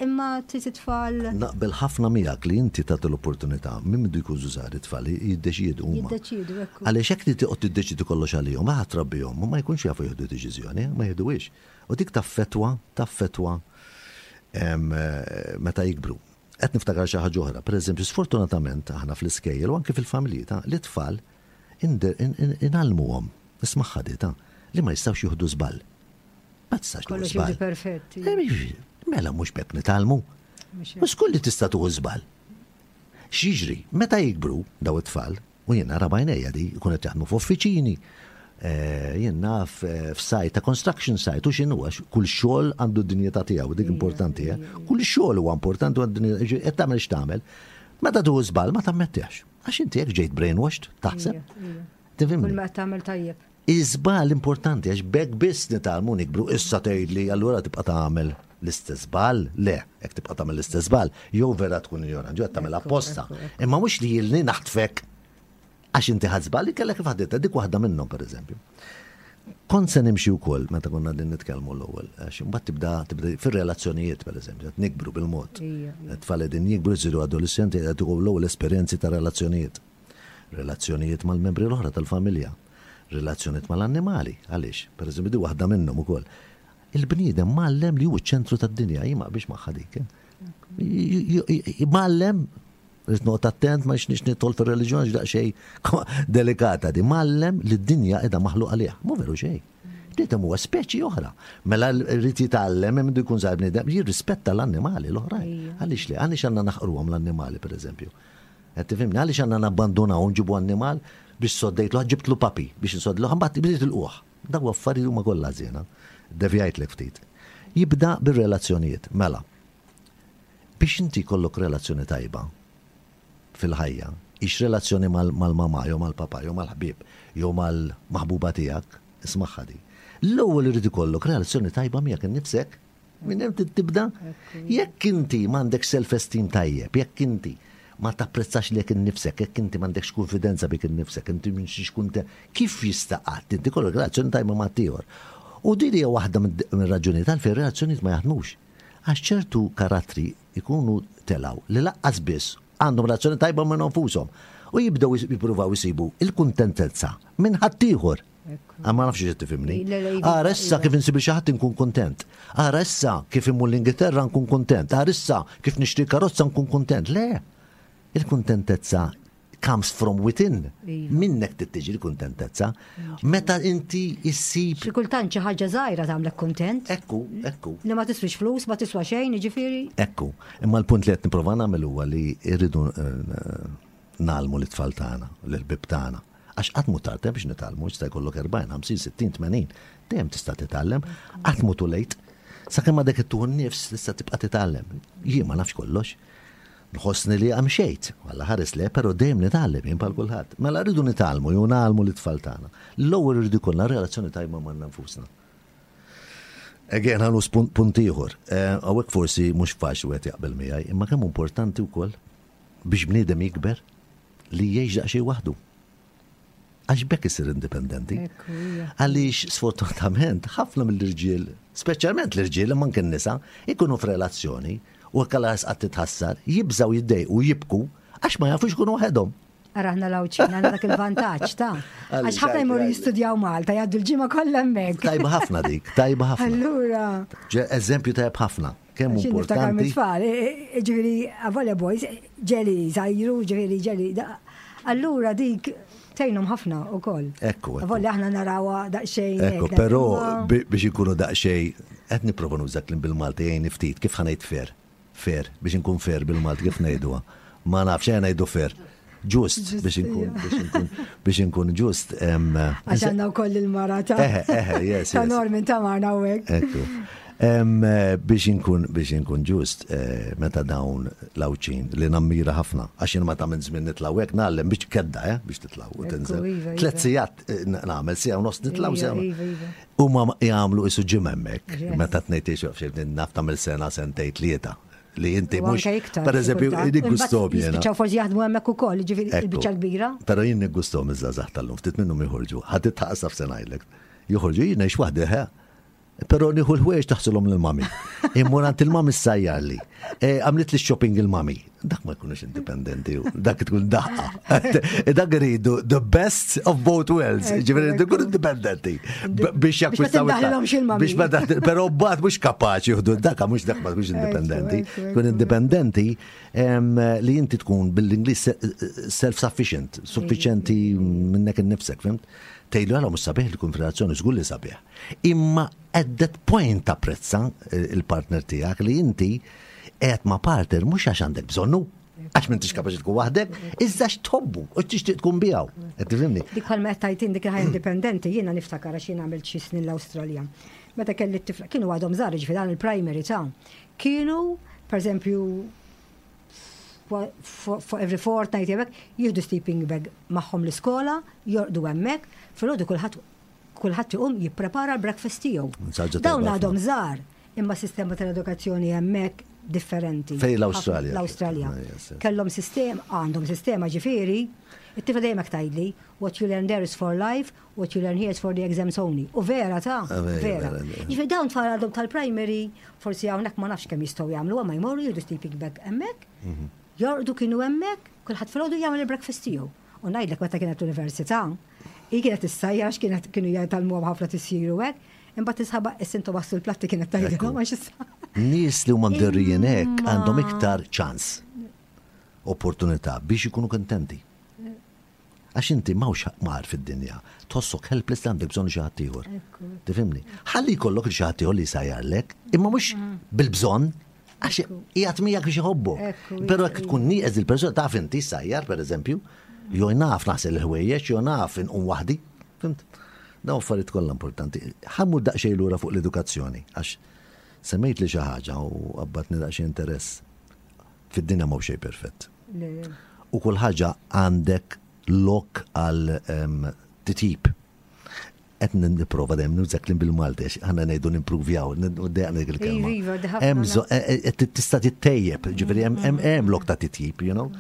B: imma trid tfal.
C: Naqbel ħafna miegħek li inti tagħti l-opportunità minn mindu jkunu żgħar it-tfal jiddeċiedu huma.
B: Jiddeċiedu, ekku.
C: Għaliex hekk li toqgħod tiddeċidi kollox għalihom, ma trabbihom, ma jkunx jafu jieħdu deċiżjoni, ma jieħduhiex. U dik taffetwa, taffetwa meta jikbru. Qed niftakar xi ħaġa oħra, pereżempju, sfortunatament aħna fl-iskejjel u anke fil-familji ta' li tfal inalmuhom, nismaħħa di ta' li ma jistgħux jieħdu żball. Ma tistax tieħu
B: Kollox
C: żball.
B: jiġi perfetti.
C: Mela mhux bekk nitgħallmu. Mhux kulli tista' tieħu żball. X'jiġri, meta jikbru daw it-tfal, u jien nara b'għajnejja di, jkun qed jaħdmu f'uffiċini, jien naf f'site ta' construction site, u x'inhu għax kull xogħol għandu d-dinjità tiegħu, dik importanti, eh? Kull xogħol huwa importanti u għandu dinjità, qed tagħmel x'tagħmel. Meta tieħu żball ma tammettix. Għax inti jekk ġejt brainwashed, taħseb. Tifhimni?
B: Kull ma tagħmel tajjeb.
C: Iż-żball importanti għax bekk biss nitgħallmu nikbru, issa tgħidli allura tibqa' tagħmel l-istess żball, le, jekk tibqa' tagħmel l-istess żball, jew vera tkun ignorant, jew tagħmel apposta. Imma mhux li jilni naħtfek għax inti ħadd żball li kellek kif ħadditha, dik waħda minnhom pereżempju. Kont se nimxi wkoll meta konna din nitkellmu l-ewwel, għax imbagħad tibda tibda fir-relazzjonijiet pereżempju, qed nikbru bil-mod. Tfal qegħdin jikbru jsiru adolescenti qed ikunu l-ewwel esperjenzi ta' relazzjonijiet. Relazzjonijiet mal-membri l-oħra tal-familja, relazzjonijiet mal-annimali, għaliex, pereżempju di waħda minnhom ukoll. Il-bniedem mgħallem li hu ċ-ċentru tad-dinja, jien ma biex magħha dik. Mgħallem, rrid noqgħod attent ma nix nidħol fir-reliġjon għax daqsxejn delikata di, mgħallem li d-dinja qiegħda maħluq għalih, mhu veru xejn. Bniedem huwa speċi oħra. Mela rrid jitgħallem hemm jkun żgħir bniedem jirrispetta l-annimali l-oħrajn. Għaliex le, għaliex għandna naħqruhom l-annimali pereżempju. Qed tifhimni, għaliex għandna nabbandunaw nġibu annimal biex soddejtlu, ġibtlu puppy biex insoddlu, mbagħad bdiet il-quħ. Daw affarijiet huma kollha żiena. Devjajtlek ftit. Jibda bir-relazzjonijiet. Mela, biex inti jkollok relazzjoni tajba fil-ħajja, ix relazzjoni mal-mama, jew mal-papa, jew mal-ħbieb, jew mal-maħbuba tiegħek, ismaħħa di. L-ewwel irid ikollok relazzjoni tajba miegħek innifsek, minn hemm tibda. Jekk inti m'għandek self-esteem tajjeb, jekk inti ma tapprezzax lilek innifsek, jekk inti m'għandekx konfidenza bik innifsek, inti minn xkun kif jista' qatt inti kollok relazzjoni tajba ma' ieħor. U din hija waħda mir-raġunijiet għalfejn relazzjonijiet ma jaħdmux. Għax ċertu karattri ikunu telaw li laqqas biss għandhom relazzjoni tajba minn nfushom u jibdew jippruvaw isibu il-kuntentezza minn ħaddieħor. Ma nafx xi tifhimni. Ara issa kif insib xi ħadd inkun kuntent. Ara issa kif immur l-Ingilterra nkun kuntent. Ara issa kif nixtri karozza nkun kuntent. Le, il-kuntentezza comes from within. Minnek tittiġi l-kuntentezza. Meta inti issib.
B: Xi kultant xi ħaġa żgħira tagħmlek kuntent.
C: Ekku, ekku.
B: Li ma tiswix flus, ma tiswa xejn, jiġifieri.
C: Ekku. Imma l-punt li qed nipprova nagħmel huwa li rridu nagħlmu l-tfal tagħna, l-ħbieb tagħna. Għax qatt mhu tard biex nitgħallmu, jista' jkollok erbgħin, ħamsin, sittin, tmenin, dejjem tista' titgħallem, qatt mhu too late. Sakemm għadek ittuħu n-nifs tista' tibqa' titgħallem. Jien ma nafx kollox. Nħossni li għamxejt, għalla ħares le, pero dejjem nitgħallem jien bħal kulħadd. Mela rridu nitgħallmu, jew nagħlmu l-tfal tagħna. L-ewwel irridu jkollna relazzjoni tajba ma' nfusna. Again, ħanu punt ieħor. Hawnhekk forsi mhux faċli wieħed jaqbel miegħi, imma kemm importanti wkoll biex bniedem jikber li jgħix daqsxejn waħdu. Għax b'hekk isir indipendenti. Għaliex sfortunatament ħafna mill-irġiel, speċjalment l-irġiel, imma anke n-nisa, ikunu f'relazzjoni u hekk għal qatt titħassar, jibżaw, jiddejqu, jibku għax ma jafux ikunu waħedhom.
B: Ara aħna l-Għawdxin, għandna dak il-vantaġġ ta' għax ħafna jmorru jistudjaw Malta, jgħaddu l-ġimgħa kollha hemmhekk.
C: Tajba ħafna dik, tajba ħafna.
B: Allura.
C: Eżempju tajb ħafna. Kemm importanti.
B: Tfal, ġifieri, avolja boys, ġeli żajru, ġifieri ġeli. Allura dik tgħinhom ħafna ukoll.
C: Ekku.
B: Avolja aħna narawha daqsxejn.
C: Ekku, però biex ikunu daqsxejn, qed nipprova nuża kliem bil-Malti, jgħin ftit, kif ħa ngħid fair? Fair, biex inkun fair bil-Malti, kif ngħiduha? Ma nafx, ejja ngħidu fair. Ġust, biex inkun, biex inkun, biex inkun ġust.
B: Għax għandna wkoll il-mara ta'
C: Eħe, eħe, yes,
B: ta' Norman ta' magħna hawnhekk.
C: Ekku. Biex inkun, biex inkun ġust, eh, meta dawn l-Għawdxin li nammira ħafna, għax jien meta minn żmien nitlaw hekk ngħallem biex kedda, eh, biex titlaw u tinżel.
B: Iva,
C: Tliet
B: iva.
C: sigħat eh, nagħmel siegħa u nofs nitlaw
B: Iva,
C: siegħa.
B: iva, iva.
C: U ma jagħmlu isu ġim hemmhekk,
B: Yes.
C: meta tnejt naf tagħmel sena, sentejn, tlieta li inti
B: U
C: mhux
B: anke iktar.
C: per eżempju
B: xi kultant.
C: niggustom
B: Imbagħad
C: jiena.
B: Jispiċċaw forsi jaħdmu hemmhekk ukoll, jiġifieri
C: Ekku.
B: il-biċċa kbira.
C: Però jien niggustom iż-żgħażagħ tal-lum, ftit minnhom joħorġu. Ħadd taqsaf se ngħidlek. Joħorġu jien ngħix waħdi ħe. Però nieħu l-ħwejjeġ taħsilhom lill-mami. Immur għand il-mami ssajjarli. E, Għamlet li shopping il-mami. Dak ma jkunux indipendenti, dak tkun daħqa. Dak iridu the best of both worlds. Ġifieri tkun indipendenti. B- Biex jakwistaw.
B: tindaħlilhomx il-mami.
C: Biex ma daħ- Però mbagħad mhux kapaċi jieħdu dak mhux dak ma tkunx indipendenti.
B: Ekku, ekku,
C: Tkun indipendenti em, li inti tkun bil-Ingliż self-sufficient, suffiċenti minnek innifsek, fhimt? Tgħidlu għala mhux sabiħ li tkun f'relazzjoni, żgur li sabiħ. Imma at that point tapprezza eh, il-partner tiegħek li inti qed ma' partner mhux għax għandek bżonnu, għax m'intix kapaċi tkun waħdek, iżda għax tħobbu u tixtieq tkun miegħu. Qed tifhimni?
B: Dik bħalma qed tajtin dik il-ħajja indipendenti, jiena niftakar għax jiena għamilt xi snin l-Awstralja. Meta kelli t-tifla, kienu għadhom żgħar, ġifieri dan il-primary ta' kienu, per eżempju, for for every fortnight hemmhekk, jieħdu sleeping bag magħhom l-iskola, jorqdu hemmhekk, filgħodu kulħadd kulħadd iqum jipprepara l-breakfast tiegħu.
C: Ħaġa
B: Dawn
C: tajba
B: għadhom
C: ħafna.
B: żgħar, imma sistema tal-edukazzjoni hemmhekk differenti.
C: Fej l-Awstralja.
B: L-Awstralja.
C: Ah, yes, yes.
B: Kellhom sistem, għandhom sistema ġifieri, it-tifla dejjem hekk tgħidli, "What you learn there is for life, what you learn here is for the exams only." U vera ta'
C: Ah, vera,
B: vera.
C: vera, vera.
B: Ġifieri dawn tfal għadhom tal-primary, forsi hawnhekk ma nafx kemm jistgħu jagħmlu, ma jmorru jieħdu sleeping bag hemmhekk,
C: Mhm.
B: jorqdu kienu hemmhekk, kulħadd filgħodu jagħmel il-breakfast tiegħu. U ngħidlek meta kienet l-università, hi kienet issajjar għax kienet kienu jgħallmuhom ħafna tisjiru hekk, imbagħad tisħaba is-sinto wassu l-platti kienet tgħidilhom għax issa.
C: Nies li huma mdorrijin hekk
B: Imma-
C: għandhom iktar ċans, opportunità biex ikunu kontenti. Għax inti m'hawnx mar fid-dinja, tħossok helpless li għandek bżonn xi ħadd ieħor. Tifhimni? Ħalli jkollok xi ħadd ieħor li jsajjarlek, imma mhux bil-bżonn, għax qiegħed miegħek biex iħobbok.
B: Ekku,
C: Però jekk tkun nieqes il-persuna taf inti sajjar pereżempju, jew naf naħsel il-ħwejjeġ, jew naf inqum waħdi. Fhimt? Dawn affarijiet kollha importanti. Ħa mmur daqsxejn lura fuq l-edukazzjoni, għax semmejt li xi ħaġa u qabbatni daqsxejn interess. Fid-dinja m'hawn xejn perfett. U kull ħaġa għandek lok għal em, titjib. Qed nipprova dejjem nuża kliem bil-Malti, għax aħna ngħidu nimpruvjaw, dejjem dik il-kelma.
B: Iva, iva, ħafna
C: Hemm bżonn- e- e- e- tista' tittejjeb, ġifieri hemm hemm hemm lok ta' titjib, you know.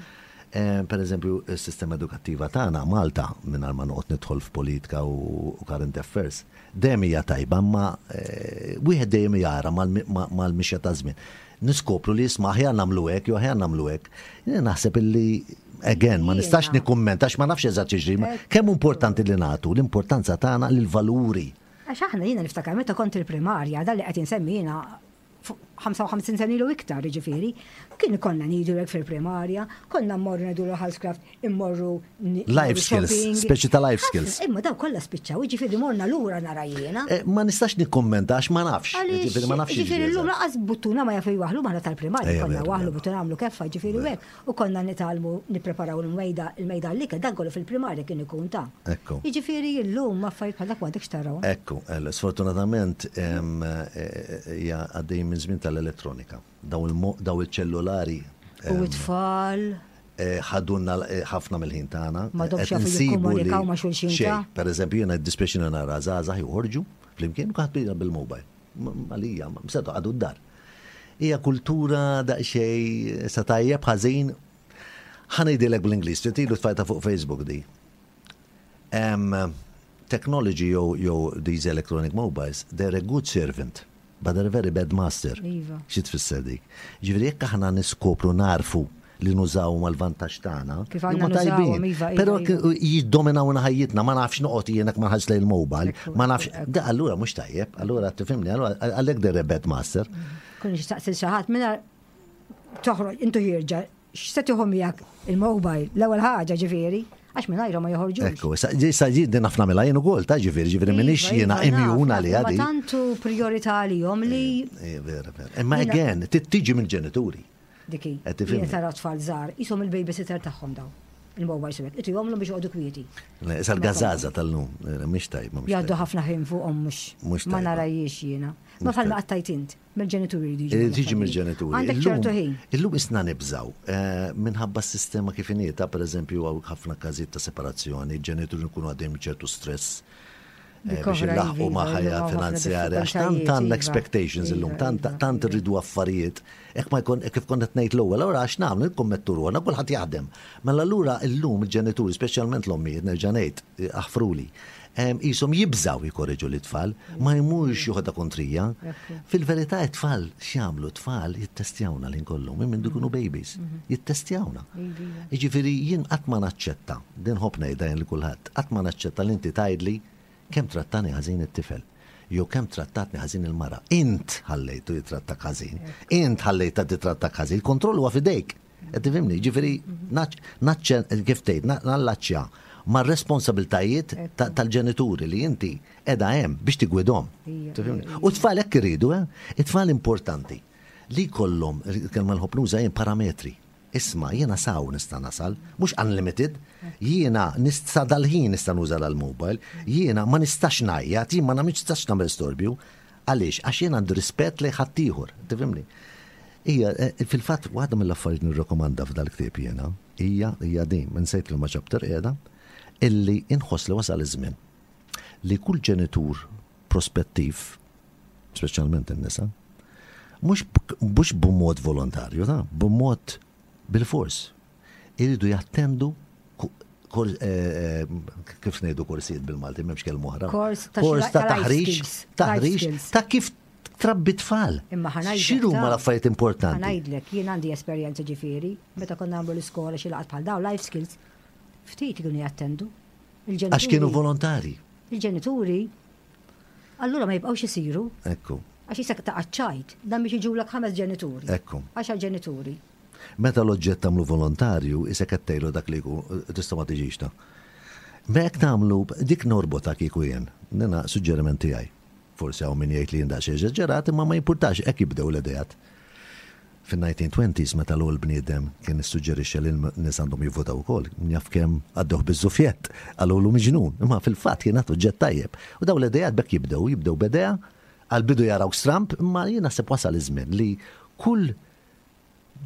C: Eh, Per eżempju, is-sistema edukattiva tagħna Malta mingħajr ma noqgħod nidħol f'politika u u current affairs, dejjem hija tajba, imma eh, wieħed dejjem jara mal- ma- mal-mixja ta' żmien. Niskopru li jisma' aħjar nagħmlu hekk jew aħjar nagħmlu hekk. Jiena naħseb illi again, ma nistax
B: Jiena.
C: nikkummenta għax ma nafx eżatt x'jiġri, ma kemm importanti li nagħtu l-importanza tagħna lill-valuri.
B: Għax aħna jiena niftakar meta kont il-primarja, dan li qed insemmi jiena fuq ħamsa u ħamsin sena ilu iktar, ġifieri, kien konna ngħidu hekk fil-primarja, konna mmorru ngħidu l-housecraft, immorru ni-
C: Life skills,
B: shopping.
C: speċi ta' life
B: Ħafna,
C: skills.
B: Imma daw kollha spiċċaw, ġifieri morna lura nara jiena.
C: Eh, Ma nistax nikkummenta għax ma nafx. Ġifieri ma nafx
B: Ġifieri
C: jiġri
B: llum
C: eżatt.
B: lanqas buttuna ma jafu jwaħlu maħna tal-primarja,
C: Ejja,
B: konna
C: vera,
B: waħlu
C: vera.
B: buttuna għamlu keffa, ġifieri hekk, u konna nitgħallmu nippreparaw il-mejda il-mejda l-ikel, dan kollu fil-primarja kien ikun ta'
C: Ekku.
B: Jiġifieri llum affarijiet bħal dak m'għandekx taraw.
C: Ekku, eh, sfortunatament em, eh, hija għaddej minn żmien tal-elettronika. Daw il-mo- daw il-ċellulari
B: U it-tfal.
C: eh, ħadunna eh, ħafna mill-ħin tagħna.
B: Ma domx
C: Qed
B: jafu
C: insibu li
B: jikkomunikaw ma' xulxin
C: xejn.
B: ta'
C: Per eżempju, jiena dispjaċini nara żgħażagħ joħorġu flimkien u kulħadd bil-mobile. Għalija, msetu għadu d-dar. Hija kultura daqsxejn sa tajjeb ħażin. Ħa ngħidilek bl-Ingliż, tilu tfajta fuq Facebook di. Um, technology jew jew these electronic mobiles, they're a good servant, but they're a very bad master.
B: Iva.
C: Xi tfisser dik? Ġifieri jekk aħna niskopru narfu li nużaw mal-vantaġġ tagħna,
B: Kif għandna
C: huma tajbin.
B: nużawhom, iva, iva,
C: Però
B: iva.
C: jiddominawna ħajjitna, ma nafx noqgħod jien ma nħares lejn il-mobile,
B: Ekku,
C: ma nafx.
B: ekku.
C: Da allura mhux tajjeb, allura tifhimni, allura għalhekk they're a bad master.
B: Kun xtaqsil xi ħadd minna toħroġ intu ħierġa, x'se tieħu miegħek il-mobile, l-ewwel ħaġa ġifieri, għax mingħajru ma joħorġux.
C: Ekku, sa sa ġi din naf nagħmilha jien ukoll, ta' ġifieri, ġifieri m'iniex
B: Iva,
C: jiena
B: iva, naf,
C: immune
B: naf,
C: għaliha
B: imma
C: di.
B: tantu priorità għalihom li
C: Eh, vera, vera. Imma
B: Jiena-
C: again, tiġi mill-ġenituri.
B: diki.
C: Qed tifhimni?
B: Jien tara tfal żgħar, ishom il-babysitter tagħhom daw. Il-mobile sebek. Itu jomlu biex joqogħdu kwieti.
C: Le, Issa l-gażaża tal-lum, eh, mhix tajba, mhux
B: Jgħaddu
C: tajba.
B: ħafna ħin fuqhom mhux
C: Mhux
B: ma
C: tajba.
B: narajiex jiena. Ma
C: Mhux
B: bħalma
C: tajba.
B: qattajt int, mill-ġenituri jridu
C: Eh,
B: jiġu
C: Tiġi
B: l-affarijiet.
C: mill-ġenituri.
B: Għandek
C: Illum-
B: ċertu ħin.
C: Illum isna nibżaw, eh, minħabba s-sistema kif inhi ta' per eżempju hawn ħafna każijiet ta' separazzjoni, il-ġenituri nkunu għaddejjem ċertu stress eh,
B: Dik
C: biex
B: oħra,
C: ilaħqu ma'
B: iva,
C: ħajja
B: illum hawn ħafna
C: finanzjarja, għax tant
B: diffikultajiet,
C: għandna
B: iva.
C: expectations illum,
B: Iva,
C: tant
B: iva,
C: tant
B: iva.
C: irridu affarijiet, hekk ma jkun kif kont qed ngħid l-ewwel, allura għax nagħmlu nikkommettu ruħna, kulħadd jaħdem. Mela allura illum il-ġenituri, speċjalment l-ommijiet, nerġa' ngħid, eh, aħfruli, em, qishom jibżaw jikorreġu l-tfal, ma jmurx joħodha kontrija.
B: Ekku.
C: Fil-verità it-tfal x'jagħmlu tfal jittestjawna l kollu, minn mindu jkunu babies, jittestjawna.
B: Iva.
C: Jiġifieri jien qatt ma naċċetta, din ħobb ngħidha jien li kulħadd, qatt ma naċċetta li inti tgħidli kemm trattani ħażin it-tifel. Jew kemm trattatni ħażin il-mara. Int ħallejtu jitrattak ħażin. Int ħallejta titrattak ħażin. Il-kontroll huwa f'idejk. Qed tifhimni, ġifieri naċċe kif tgħid, na- nallaċċja ma' responsabiltajiet ta- tal-ġenituri li inti qiegħda hemm biex tigwidhom.
B: Ija,
C: Tifhimni? U tfal hekk iridu, eh? It-tfal importanti li kollhom, kelma nħobb nuża jien parametri. Isma, jiena saw nista' nasal, mhux unlimited, jiena nista' dal-ħin nista' nuża dal-mobile, jiena ma nistax ngħajjat, jien ma nistax nagħmel storbju. Għaliex? Għax jien għandu rispett lejn ħaddieħor, tifhimni? Ija, eh, fil-fatt, waħda mill-affarijiet nirrekomanda f'dal-ktieb jiena, hija hija din, insejt li ma chapter qiegħda, illi inħoss li wasal iż-żmien li kull ġenitur prospettiv, speċjalment in-nisa, mhux mhux b'mod volontarju, ta' b'mod bil-fors. Iridu jattendu ku- kor, eh, eh, kif ngħidu korsijiet bil-Malti, m'hemmx kelma oħra.
B: Kors ta'
C: Kors
B: xi-
C: ta'
B: ta' life
C: taħriġ,
B: skills, life
C: taħriġ
B: skills.
C: ta' kif trabbi tfal.
B: Imma ħa ngħidlek
C: X'inhu
B: ta'
C: ma l-affarijiet importanti?
B: Ħa ngħidlek, jien għandi esperjenza ġifieri, meta konna nagħmlu l-iskola xi laqgħat bħal daw life skills, ftit kienu jattendu.
C: Għax kienu volontari.
B: Il-ġenituri, allura ma jibqgħux isiru,
C: Ekku,
B: għax jisek ta' ċajt, dan biex jiġulek ħames ġenituri.
C: ekku.
B: Għaxar ġenituri.
C: Meta l-oġġett tagħmlu volontarju, isek qed tgħidlu dak li jkun tista' ma tiġix ta' Ma jekk tagħmlu dik norbota kieku jien, nina suġġeriment tiegħi. Forsi hawn min jgħid li jien daqsxejn eżaġerat, imma ma jimpurtax hekk jibdew l-idejat. Fin-nineteen twenties meta l-ewwel bniedem kien issuġġerixxa li n-nies għandhom jivvotaw ukoll, jaf kemm għaddewh biż-żufjett, qalulu miġnun, imma fil-fatt kien oġġett tajjeb. U daw l-idejat bekk jibdew, jibdew b'idea, għal-bidu jaraw stramp, imma jien naħseb wasal iż-żmien li kull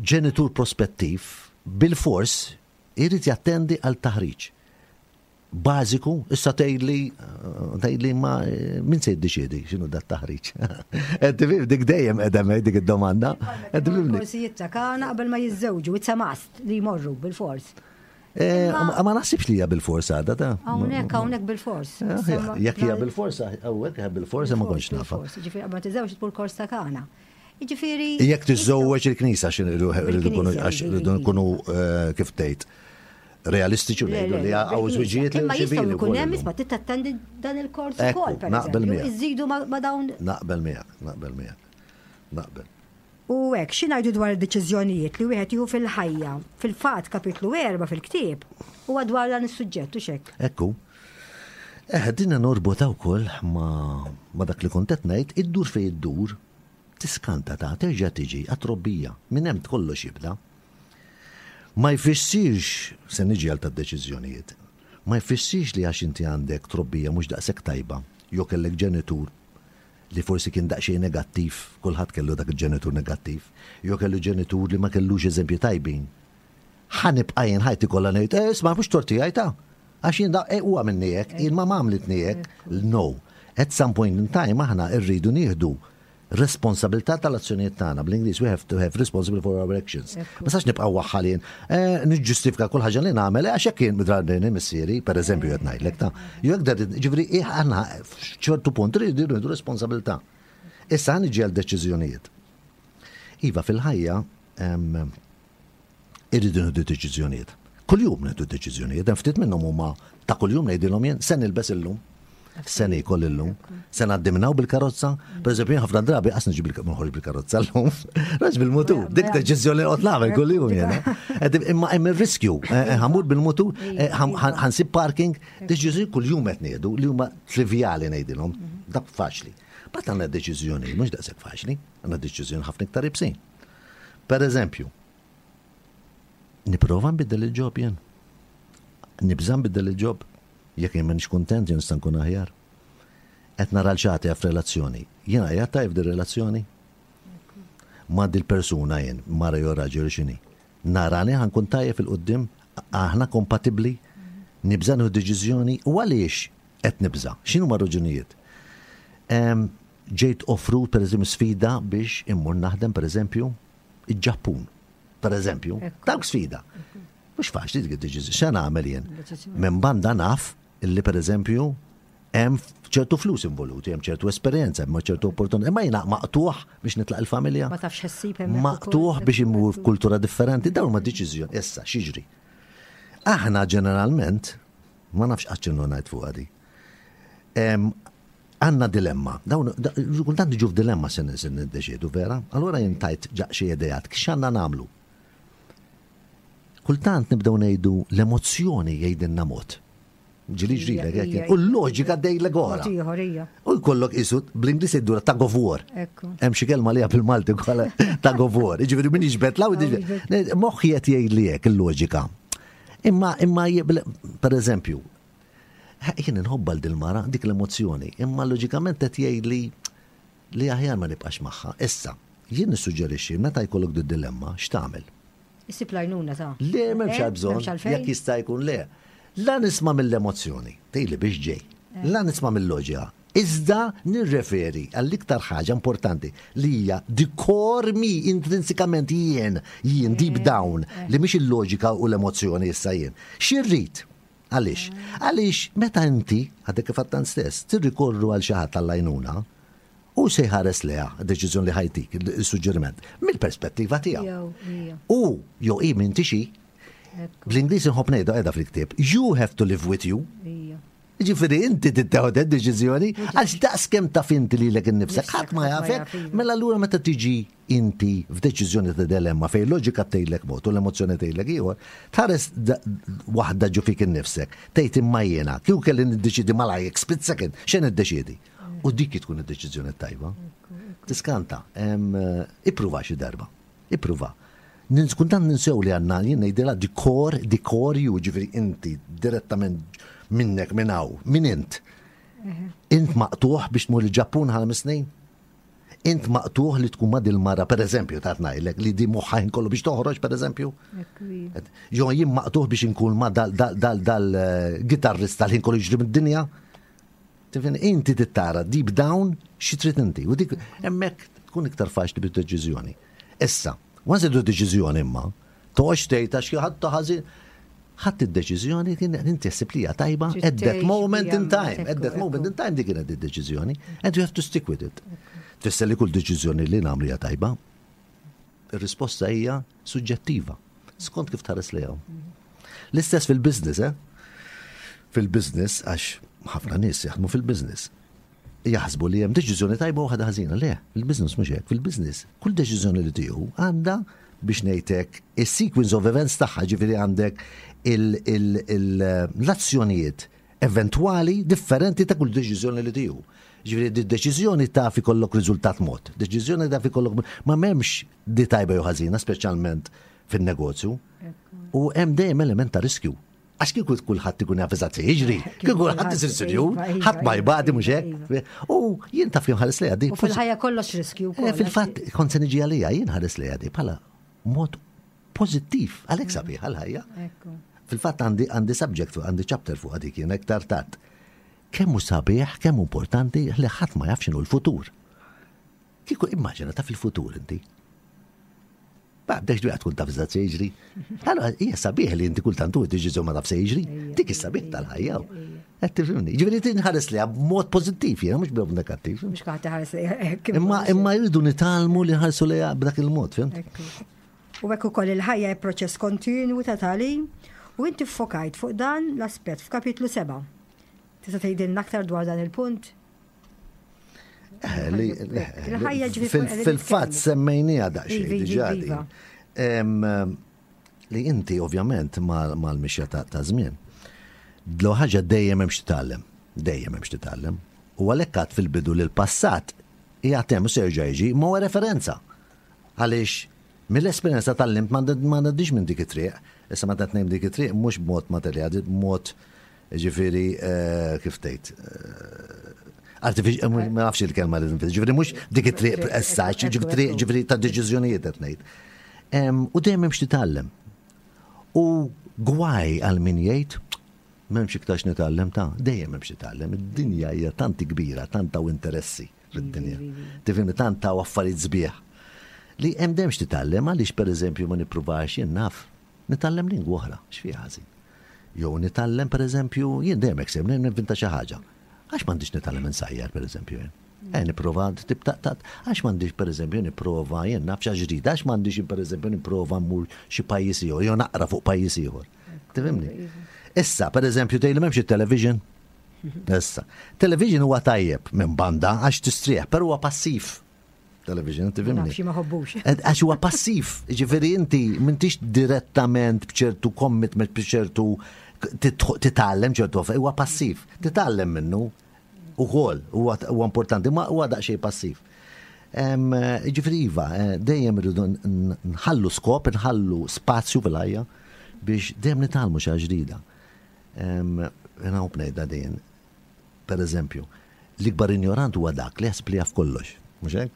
C: ġenitur prospettiv bil-fors irid jattendi għal taħriġ bażiku, issa tgħidli tgħidli ma eh, min se jiddeċiedi x'inhu dat taħriġ. Qed tifhem dik dejjem qiegħda hemm dik id-domanda. Qed tifhimni?
B: Korsijiet ta' kana qabel ma jiżżewġu, it's a must li jmorru bil-fors.
C: Eh, Ma ma naħsibx li hija bil-fors għadha ta'
B: Hawnhekk hawnhekk bil-fors.
C: Eh, Jekk hija bil-fors, hawnhekk hija bil-fors ma kontx nafa.
B: Ġifieri qabel ma tiżżewġ tmur kors ta' kana. Jiġifieri
C: Jekk tiżżewweġ il-knisja x'in irridu nkunu għax irridu nkunu eh, kif tgħid realistiċi u
B: Le,
C: ngħidu
B: le,
C: li hawn
B: bil-knisja.
C: żwiġijiet li
B: Imma jistgħu
C: ċivili
B: jkun
C: wkoll
B: hemm
C: illum.
B: isma' tittattendi dan il-kors
C: Ekku,
B: ukoll, per
C: naqbel
B: eżempju.
C: miegħek.
B: Iżidu ma ma dawn
C: Naqbel miegħek, naqbel miegħek. Naqbel.
B: U hekk, xi ngħidu dwar id-deċiżjonijiet li wieħed jieħu fil-ħajja, fil-fatt kapitlu erba' fil-ktieb, huwa dwar dan is-suġġett u xek.
C: Ekku. Eh, dinna norbota wkoll ma, ma dak li kont qed ngħid, iddur fej iddur, tiskanta ta' terġa' tiġi għat-trobbija. Minn hemm kollox jibda. Ma jfissirx, se niġi għal tad-deċiżjonijiet, ma jfissirx li għax inti għandek trobbija mhux daqshekk tajba, jew kellek ġenitur li forsi kien daqsxejn negattiv, kulħadd kellu dak il-ġenitur negattiv, jew kellu ġenitur li ma kellux eżempji tajbin. Ħa nibqa' jien ħajti kollha ngħid, eh, isma' mhux torti ta' għax jien da eh, huwa minni hekk, jien ma għamlitni hekk. No. At some point in time aħna rridu nieħdu Responsabilità tal-azzjonijiet tagħna. Bl-Ingliż, we have to have responsible for our actions. Ma sax nibqgħu waħħalin, eh, niġġustifika kull ħaġa li nagħmel għax hekk kien midrabbini missieri, pereżempju qed ngħidlek ta' jew hekk dar, ġifieri aħna f'ċertu punt rridu nieħdu responsabilità. Issa ħa niġi għal deċiżjonijiet. Iva, fil-ħajja em, irridu nieħdu deċiżjonijiet. Kuljum nieħdu deċiżjonijiet, hemm ftit minnhom huma ta' kuljum, ngħidilhom jien, se nilbes illum, se niekol illum, se ngħaddi minn hawn bil-karozza. Per eżempju, jien ħafna drabi qas niġi bil- noħroġ bil-karozza llum, raġ bil-mutur, dik deċiżjoni qed nagħmel kuljum jiena. Ed imma hemm ir-riskju, eh, eh, ħa mmur bil-mutur, eh, ħam- ħan- ħa nsib parking, deċiżjoni kuljum qed nieħdu li huma trivjali ngħidilhom, dak faċli. But għandna deċiżjoni mhux daqshekk faċli, għandna deċiżjoni ħafna iktar iebsin. Per eżempju, nipprova nbiddel il-job jien. Nibża nbiddel il-job. Jekk jien m'inix kuntent, jien nista' nkun aħjar. Qed nara l-ċati f'relazzjoni. Jiena qiegħed tajjeb di relazzjoni? Ma' dil-persuna jien, mara jew raġel x'inhi. Narani ħa nkun tajjeb fil-quddiem, aħna kompatibbli, nibża nieħu deċiżjoni u għaliex qed nibża? X'inhu ma raġunijiet? Em, Ġejt offrut, per eżempju, sfida biex immur naħdem, per eżempju, il-Ġappun. Per eżempju,
B: Ekku.
C: dawk sfida. Mhux faċli dik id-deċiżjoni. X'għan nagħmel jien?
B: Deċiżjoni.
C: Minn banda naf illi, per eżempju, hemm ċertu flus involuti, hemm ċertu esperjenza, hemm ċertu opportunità. Imma jiena maqtuħ biex nitlaq il-familja.
B: Ma tafx ħassib hemmhekk
C: Maqtuħ
B: ukoll.
C: biex immur f'kultura differenti, dawn ma deċiżjoni. Issa, x'jiġri? Aħna ġeneralment, ma nafx qatt x'inhu ngħid fuq għadi. Em, Għandna dilemma. Dawn, da- kultant niġu f'dilemma se se niddeċiedu, vera? Allura jien tajt ġaq xi idejat, x'għandna nagħmlu? Kultant nibdew ngħidu l-emozzjoni jgħidilna mod. Ġili ġrilek,
B: Ija,
C: hekk.
B: ija,
C: U l-loġika dejlek ora.
B: Mod ieħor, ija.
C: U jkollok isu, bl-Ingliż jgħidu tug of war.
B: Ekku.
C: Hemm xi kelma li bil-Malti wkoll, tug of war. Jiġifieri min jiġbed law,
B: jiġbed.
C: moħħi qed jgħid li hekk il-loġika. Imma imma je- per eżempju, jien inħobba l dil-mara, dik l-emozzjoni, imma loġikament qed jgħid li li aħjar ma nibqax magħha. Issa, jien nissuġġerixxi meta jkollok di dilemma, x'tagħmel?
B: Issib l-għajnuna ta'
C: Le, m'hemmx
B: Eh,
C: għal bżonn,
B: m'hemmx għalfejn?
C: jekk jista' jkun le. La nisma' mill-emozzjoni, tgħidli biex ġej. La nisma' mill-loġika. Iżda nirreferi għall-iktar ħaġa importanti li hija the core me, intrinsikament jien, jien deep down, li mhix il-loġika u l-emozzjoni issa jien. X'irrid? Għaliex? Għaliex meta inti, għadek kif għattan stess, tirrikorru għal xi ħadd tal-għajnuna, u se jħares leha deċiżjoni li ħa jtik, il-suġġeriment, mill-perspettiva tiegħu.
B: Jew, ija.
C: U jew i minn tixi,
B: Ekku.
C: bl-Ingliż inħobb ngħidu, qiegħda fil-ktieb, you have to live with you.
B: Ija.
C: Ġifieri inti tittieħu deċiżjoni għax daqs kemm taf inti lilek innifsek, ħadd ma
B: ħadd ma
C: jafek,
B: jaf, iva.
C: mela allura meta tiġi inti f'deċiżjoni ta' dilemma fejn loġika tgħidlek mod u l-emozzjoni tgħidlek ieħor, tħares da- waħda ġo fik innifsek, tgħid imma jiena, kieku kelli niddeċidi malajk, split second, x'en niddeċiedi? U dik tkun id-deċiżjoni tajba. Tiskanta, em, eh, ippruva xi darba, ippruva. Nins- Kultant ninsew li għandna, jien ngħidilha the core, the core you, ġifieri inti direttament minnek minn hawn, min int? Int maqtuħ biex tmur il-Ġappun ħal snin? Int maqtuħ li tkun ma dil-mara, per eżempju, ta' ngħidlek, li di moħħa kollu biex toħroġ, per eżempju?
B: Ekku, ija.
C: Jo jien maqtuħ biex inkun ma dal dal dal dal eh, gitarrista li kollu jiġri mid-dinja? Tifhem, inti tittara deep down xi trid inti. U dik hemmhekk tkun iktar faċli bid-deċiżjoni. Issa, once idu deċiżjoni imma, toqgħodx tgħid għax xi ħadd ħażin. Ħadd id-deċiżjoni kien inti ssib li hija tajba
B: Trid
C: at that
B: tgħix
C: moment
B: biha,
C: in time. At that
B: ekku,
C: moment
B: ekku.
C: in time dik kienet id-deċiżjoni and you have to stick with it. Tfisser li kull deċiżjoni li nagħmlu hija tajba? Ir-risposta hija suġġettiva. Skont kif tħares lejha. L-istess fil-business, eh? Fil-business, għax ħafna nies jaħdmu fil-business. Jaħsbu li hemm deċiżjoni tajba u waħda ħażina. Le, fil-business mhux hekk. Fil-business, kull deċiżjoni li tieħu għandha, biex ngħidlek, is-sequence of events tagħha, ġifieri għandek il- il- il- l-azzjonijiet eventwali differenti ta' kull deċiżjoni li tieħu. Ġifieri di deċiżjoni taf ikollok riżultat mod, deċiżjoni taf ikollok, ma m'hemmx di tajba jew ħażina, speċjalment fin-negozju. U hemm dejjem element ta' riskju. Għax kieku kulħadd ikun jaf eżatt se jiġri, kieku kulħadd isir sinjur,
B: Iva, iva,
C: ħadd ma jbati, mhux
B: iva,
C: hekk. U jien taf jien ħares lejha di.
B: U fil-ħajja kollox riskju
C: Eh,
B: wkoll.
C: Fil-fatt, kont se niġi għalija, jien ħares lejha di bħala mod pożittiv, għalhekk sabiħ għal-ħajja.
B: Ekku.
C: Fil-fatt għandi għandi subject fuq, għandi chapter fuq għadik jien iktar tard. Kemm hu sabiħ, kemm hu importanti li ħadd ma jaf x'inhu l-futur. Kieku immaġina ta' fil-futur inti. Ba, bdex dwejja tkun taf se jiġri. Allora, hija sabiħ li inti kultant tu tiġi ma taf se jiġri. Dik is-sabiħ tal-ħajja. Qed tifhimni. Ġifieri tinħares li b'mod pożittiv jiena mhux b'mod negattiv.
B: Mhux kaħ tħares li
C: Imma imma jridu nitgħallmu li nħarsu lejha b'dak il-mod, fimt?
B: U hekk ukoll il-ħajja hija proċess kontinwu ta' tagħlim u inti ffokajt fuq dan l-aspett f'kapitlu seba'. Tista' tgħidilna aktar dwar dan il-punt?
C: Eh, fil-fatt semmejnija daqsxejn diġà din. Li inti ovvjament mal-mixja ta' żmien. L ħaġa dejjem hemm x'titgħallem, dejjem hemm x'titgħallem. U għalhekk għad fil-bidu li l-passat hija hemm se jerġa' jiġi, ma huwa referenza. Għaliex mill-esperjenza tgħallimt ma ngħaddix minn dik it-triq. Issa meta tnejn dik it-triq mhux b'mod materjali, b'mod ġifieri eh, kif tgħid eh, artificial, ma nafx il-kelma li nfis, ġifieri mhux dik it-triq essaċ, ġifieri ġifieri ta' deċiżjonijiet qed ngħid. U dejjem hemm x'titgħallem. U gwaj għal min jgħid m'hemmx iktar x'nitgħallem ta' dejjem hemm x'titgħallem. Id-dinja hija tanti kbira, tant hawn interessi fid-dinja. Tifhimni tant hawn affarijiet sbieħ. Li hemm dejjem x'titgħallem għaliex pereżempju ma nippruvax jien naf nitgħallem lingwa oħra, x'fiha ħażin. Jew nitgħallem pereżempju jien dejjem hekk sem ninventa xi ħaġa. Għax m'għandix nitgħallem insajjar pereżempju jien. Eh, nipprova tip ta' ta' għax m'għandix pereżempju nipprova jien naf xi ġdida, għax m'għandix pereżempju nipprova mmur xi pajjiż ieħor jew naqra fuq pajjiż ieħor. Tifhimni? Issa, pereżempju tgħidli m'hemmx it-television. Issa, television huwa tajjeb minn banda għax tistrieħ, però huwa passiv. Television, tifhimni?
B: Xi ma ħobbux.
C: Għax huwa passiv, ġifieri inti m'intix direttament b'ċertu commitment b'ċertu titgħallem ċertu huwa passiv, titgħallem minnu ukoll huwa importanti, ma huwa daqsxejn passiv. Ġifieri iva, eh, dejjem irridu nħallu skop, nħallu spazju fil-ħajja biex dejjem nitgħallmu xi ġdida. Jena u ngħidha din, per eżempju, l-ikbar ignorant huwa dak li jaħseb li jaf kollox, mhux hekk?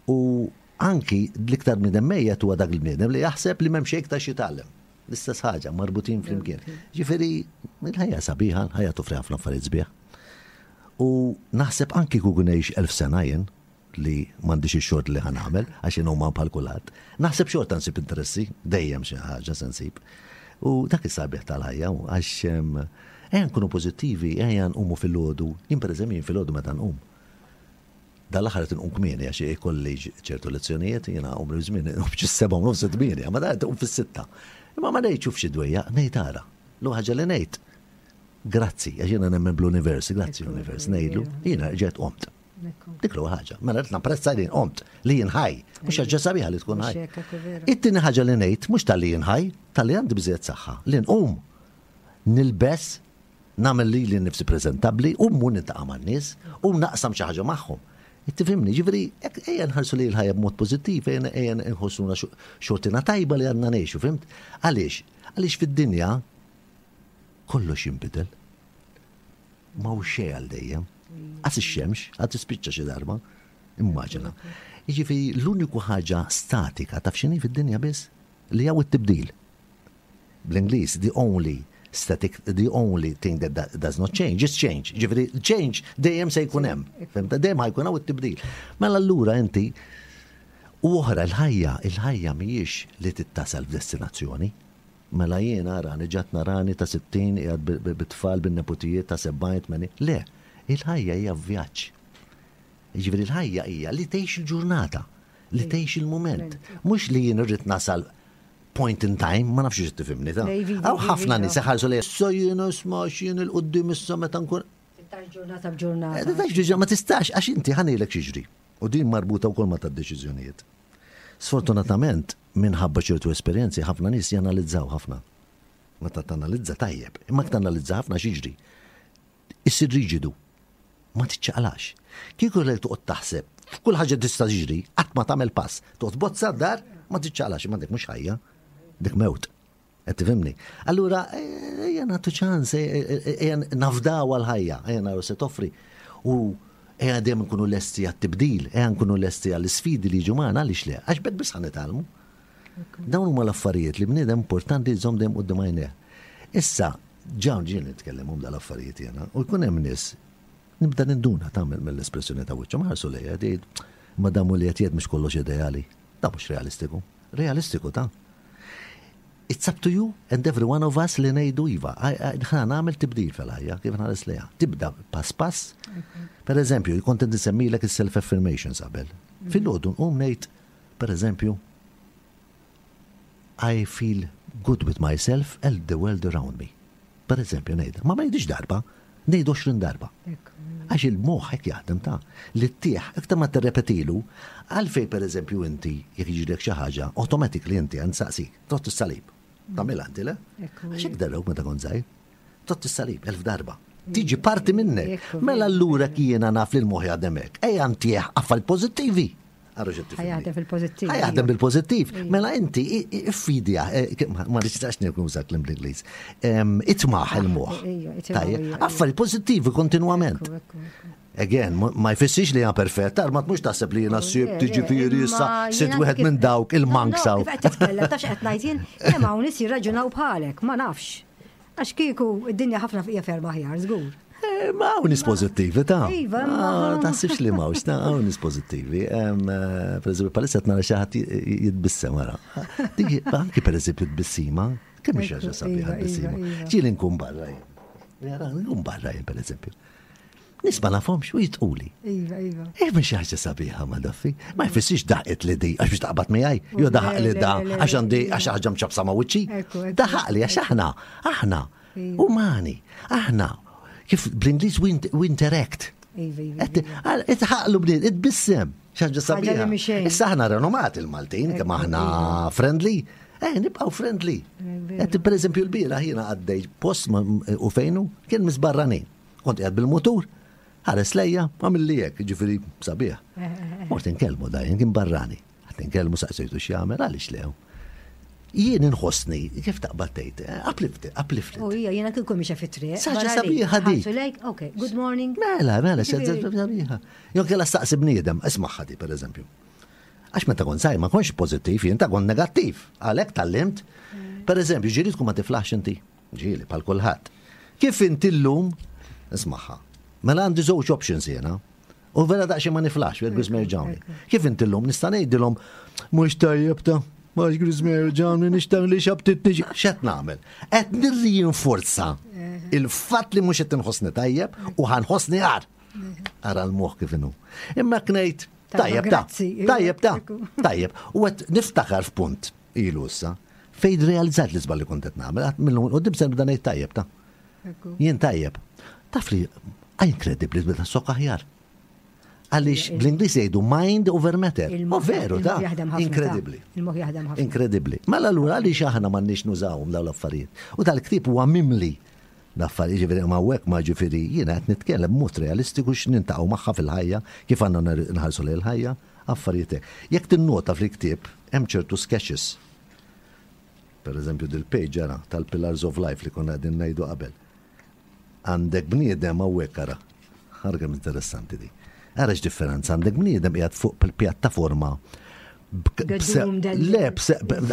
C: U anki l-iktar bniedem mejjet huwa dak il-bniedem li jaħseb li m'hemm xejn iktar x'jitgħallem. L-istess ħaġa, marbutin flimkien. Ġifieri, il-ħajja sabiħa, l-ħajja toffri ħafna affarijiet sbieħ. U naħseb anki kieku ngħix elf sena jien, li m'għandix ix-xort li ħa nagħmel, għax jien huma bħal kulħadd. Naħseb xorta nsib interessi, dejjem xi ħaġa se nsib. U dak is-sabiħ tal-ħajja, għax ejja nkunu pożittivi, ejja nqumu fil-għodu. Jien pereżempju jien fil-għodu meta nqum. Dal-aħħar qed inqum kmieni għax ikolli ċertu lezzjonijiet, jiena għomri żmien nqum xi seba' u nofs tmienja, ma da tqum fis-sitta. Imma ma ngħidx xi dwejja, ngħid ara. L ħaġa li ngħid. Grazzi, għax jiena nemmen bl-univers, grazzi l-univers, ngħidlu, jiena ġejt qomt. Dik l ħaġa. Mela qed napprezza li qomt li jien ħaj, mhux ħaġa sabiħa li tkun ħaj. It-tieni ħaġa li ngħid mhux tal-li jien ħaj, tal-li għandi biżejjed saħħa, li nqum nilbes nagħmel li li nifsi preżentabbli u mmur niltaqa' man-nies u naqsam xi ħaġa magħhom. Tifhimni, ġifieri, ejja nħarsu li l-ħajja b'mod pożittiv, ejja nħossuna xortina tajba li għandna ngħixu, fimt? Għaliex? Għaliex fid-dinja kollox jinbidel. Ma hu xejn għal dejjem. Għas ix-xemx, għad tispiċċa xi darba. Immaġina. Jiġifieri l-uniku ħaġa statika taf x'inhi fid-dinja biss li hawn it-tibdil. Bl-Ingliż, the only static, the only thing that does not change is change. Ġifieri, change dejjem se jkun hemm. Fimta? Dejjem ħa jkun hawn it-tibdil. Mela allura inti u oħra l-ħajja, il-ħajja mhijiex li tittasal f'destinazzjoni. Mela jien arani ġat narani ta' sittin qiegħed bit-tfal bin-neputijiet ta' sebgħin tmenin. Le, il-ħajja hija vjaġġ. Ġifieri l-ħajja hija li tgħix il-ġurnata, li tgħix il-mument. Mhux li jien irrid nasal point in time, ma nafx tifhimni ta' Hawn ħafna nies iħarsu li issa jien isma' x'jien il-qudiem issa meta nkun.
B: Tistax ġurnata b'ġurnata.
C: Tistax ma tistax għax inti ħa ngħidlek x'jiġri. U din marbuta wkoll ma tad-deċiżjonijiet. Sfortunatament, minħabba ċertu esperjenzi ħafna nies janalizzaw ħafna. Meta tanalizza tajjeb, imma tanalizza ħafna x'jiġri. Issir riġidu. Ma tiċċaqlax. Kieku lek toqgħod taħseb f'kull ħaġa tista' tiġri, qatt ma tagħmel pass. Toqgħod bozza d-dar, ma tiċċaqlax, imma dik mhux ħajja, dik mewt. Qed tifhimni? Allura ejja nagħtu ċans, ejja nafdaw għal-ħajja, ejja naraw se toffri. U ejja dejjem nkunu lesti għat-tibdil, ejja nkunu lesti għall-isfidi li jiġu magħna għaliex le, għax b'hekk biss ħa nitgħallmu. Dawn huma l-affarijiet li bniedem importanti jżomm dejjem quddiem għajnejh. Issa, ġawn ġien nitkellem dal-affarijiet jiena, u jkun hemm nies nibda ninduna tagħmel mill-espressjoni ta' wiċċhom ħarsu lejja tgħid Ma damu li qed mhux kollox ideali. Da mhux realistiku. Realistiku ta' It's up to you and every one of us li ngħidu iva. Ħa nagħmel tibdil fil-ħajja, kif nħares lejha. Tibda pass pass. Per eżempju, kont insemmilek il-self-affirmations qabel. Fil-għodu nqum ngħid, per eżempju, I feel good with myself and the world around me. Per eżempju, ngħidha. Ma ma ngħidix darba, ngħid għoxrin darba. Għax il-moħħ hekk jaħdem ta' li ttieħ, iktar ma tirrepetilu, għalfej per eżempju inti jekk jiġrilek xi ħaġa, automatically inti għand saqsik, tott is-salib. Tagħmilha inti le? Għax hekk darrewk meta kont żgħir. Tott is-salib elf darba. Tiġi parti minnek. Mela allura jiena naf li l-moħħ jaħdem hekk. Ejja ntieħ affarijiet pożittivi.
B: Jaħdem fil-pożittiv.
C: Jaħdem bil-pożittiv. Mela inti iffidja, eh, ma nistax nuża kliem bl-Ingliż. Itmaħ il-moħħ. Tajjeb, affarijiet pożittivi kontinwament. Again, ma jfissirx li jena perfett, ma tmux taħseb li jena s-sib tiġifieri issa sitt wieħed minn dawk il-monks.
B: Kif qed titkellem, tafx qed ngħid jien, kemm hawn nies jirraġunaw bħalek, ma nafx. Għax kieku id-dinja ħafna fija ferma aħjar, żgur.
C: Eh, ma hawn nies pożittivi ta'
B: Iva,
C: ah, taħsibx li m'hawnx, ta' hawn nies pożittivi. Eh, per eżempju, palissa qed nara xi ħadd jitbissem wara. Dik anki per eżempju tbissima, kemm xi ħaġa sabiħa
B: iva,
C: tbissima.
B: Iva, iva.
C: Ġieli nkun barra jien. Jara, nkun barra jien per eżempju. Nies ma nafhomx u jitquli.
B: Iva, iva.
C: Eh, mhux xi ħaġa sabiħa ma daffi. Ma jfissirx daħqet li di għax biex taqbad miegħi, jew daħaq li da għax għandi għax ħaġa mċabsa ma' wiċċi. Daħaq li għax aħna, aħna umani, aħna kif bl-Ingliż we interact.
B: Iva, iva.
C: Itħaqlu bniet, itbissem. Xaġa sabiħa. Issa aħna renomati il-Maltin, kemm aħna friendly. Eh, nibqaw friendly. Per eżempju, l-bieraħ jiena għaddej post u fejnu kien misbarranin. Kont qiegħed bil-mutur, ħares lejja, għamilli hekk, ġifieri sabiħ.
B: Eh, eh, eh.
C: Mort inkellmu da, kien barrani. Għat inkellmu saqsejtu x'jagħmel, għaliex lew. Jien inħossni, kif taqbad tgħid, uplifted, uplifted.
B: U hija jiena kieku mixja fit-triq.
C: Saġa sabiħa di.
B: Ok, good morning.
C: Mela, mela, sabiħa. Jew kella staqsi bniedem, isma' di per eżempju. Għax meta kont żgħir ma kontx pożittiv, jien ta' kont negattiv. Għalhekk tgħallimt. Per eżempju, ġieli tkun ma tiflaħx inti. Ġieli, bħal kulħadd. Kif inti llum, ismaħħa. Mela għandi żewġ options jiena. U vera daqsxejn ma niflax, il-Griżmer ġawni. Kif inti llum nista' ngħidilhom mhux tajjeb ta' mhux Griżmer ġawni nixtaq li xabtit niġi. X'qed nagħmel? Qed nirrinforza il-fatt li mhux qed inħossni tajjeb u ħanħossni għar. Ara l-moħħ kif inhu. Imma knejt tajjeb ta' tajjeb ta' tajjeb. U qed niftakar f'punt ilu issa fejn realizzat li żball li kont qed nagħmel, minnhom qudiem se nibda ngħid tajjeb ta' Jien tajjeb. Taf li inkredibbli tbida sok aħjar. Għaliex bl-Ingliż jgħidu mind over matter. U veru, ta' inkredibbli.
B: Il-moħħ jaħdem ħafna.
C: Inkredibbli. Mela allura għaliex aħna m'għandniex nużawhom dawn l-affarijiet. U dal-ktieb huwa mimli l-affarijiet, ġifieri ma hekk ma ġifieri jiena qed nitkellem b'mod realistiku x'nintaqgħu magħha fil-ħajja, kif għandna nħarsu lejn il-ħajja, affarijiet hekk. Jekk tinnota fil-ktieb hemm ċertu sketches. Per eżempju dil-page ara tal-Pillars of Life li konna qegħdin ngħidu qabel. Għandek bniedem hawnhekk ara. Ara kemm interessanti di. Ara x'differenza għandek bniedem qiegħed fuq il-pjattaforma. Le,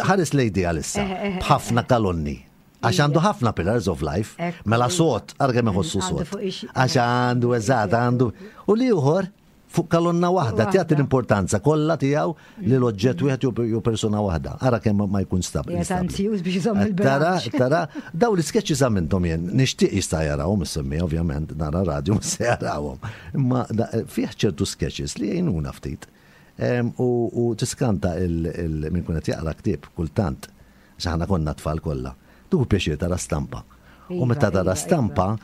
C: ħares lejdi għalissa, b'ħafna kalonni. Għax għandu ħafna Pillars of Life, mela sot, ara kemm iħossu sot. Għax għandu eżatt, għandu. U li ieħor fuq kalonna waħda, tjagħti l-importanza kollha tiegħu li l-oġġett wieħed jew persuna waħda. Ara kemm ma jkun stabbli. Tara, tara, daw l-sketches għamilthom jien, nixtieq jista' jarawhom is-semmi, ovvjament, nara radio se jarawhom. Imma fih ċertu sketches li jgħinuna ftit. U tiskanta minn kun qed jaqra ktieb kultant, aħna konna tfal kollha. Tuħu pjaċir tara stampa. U meta tara stampa,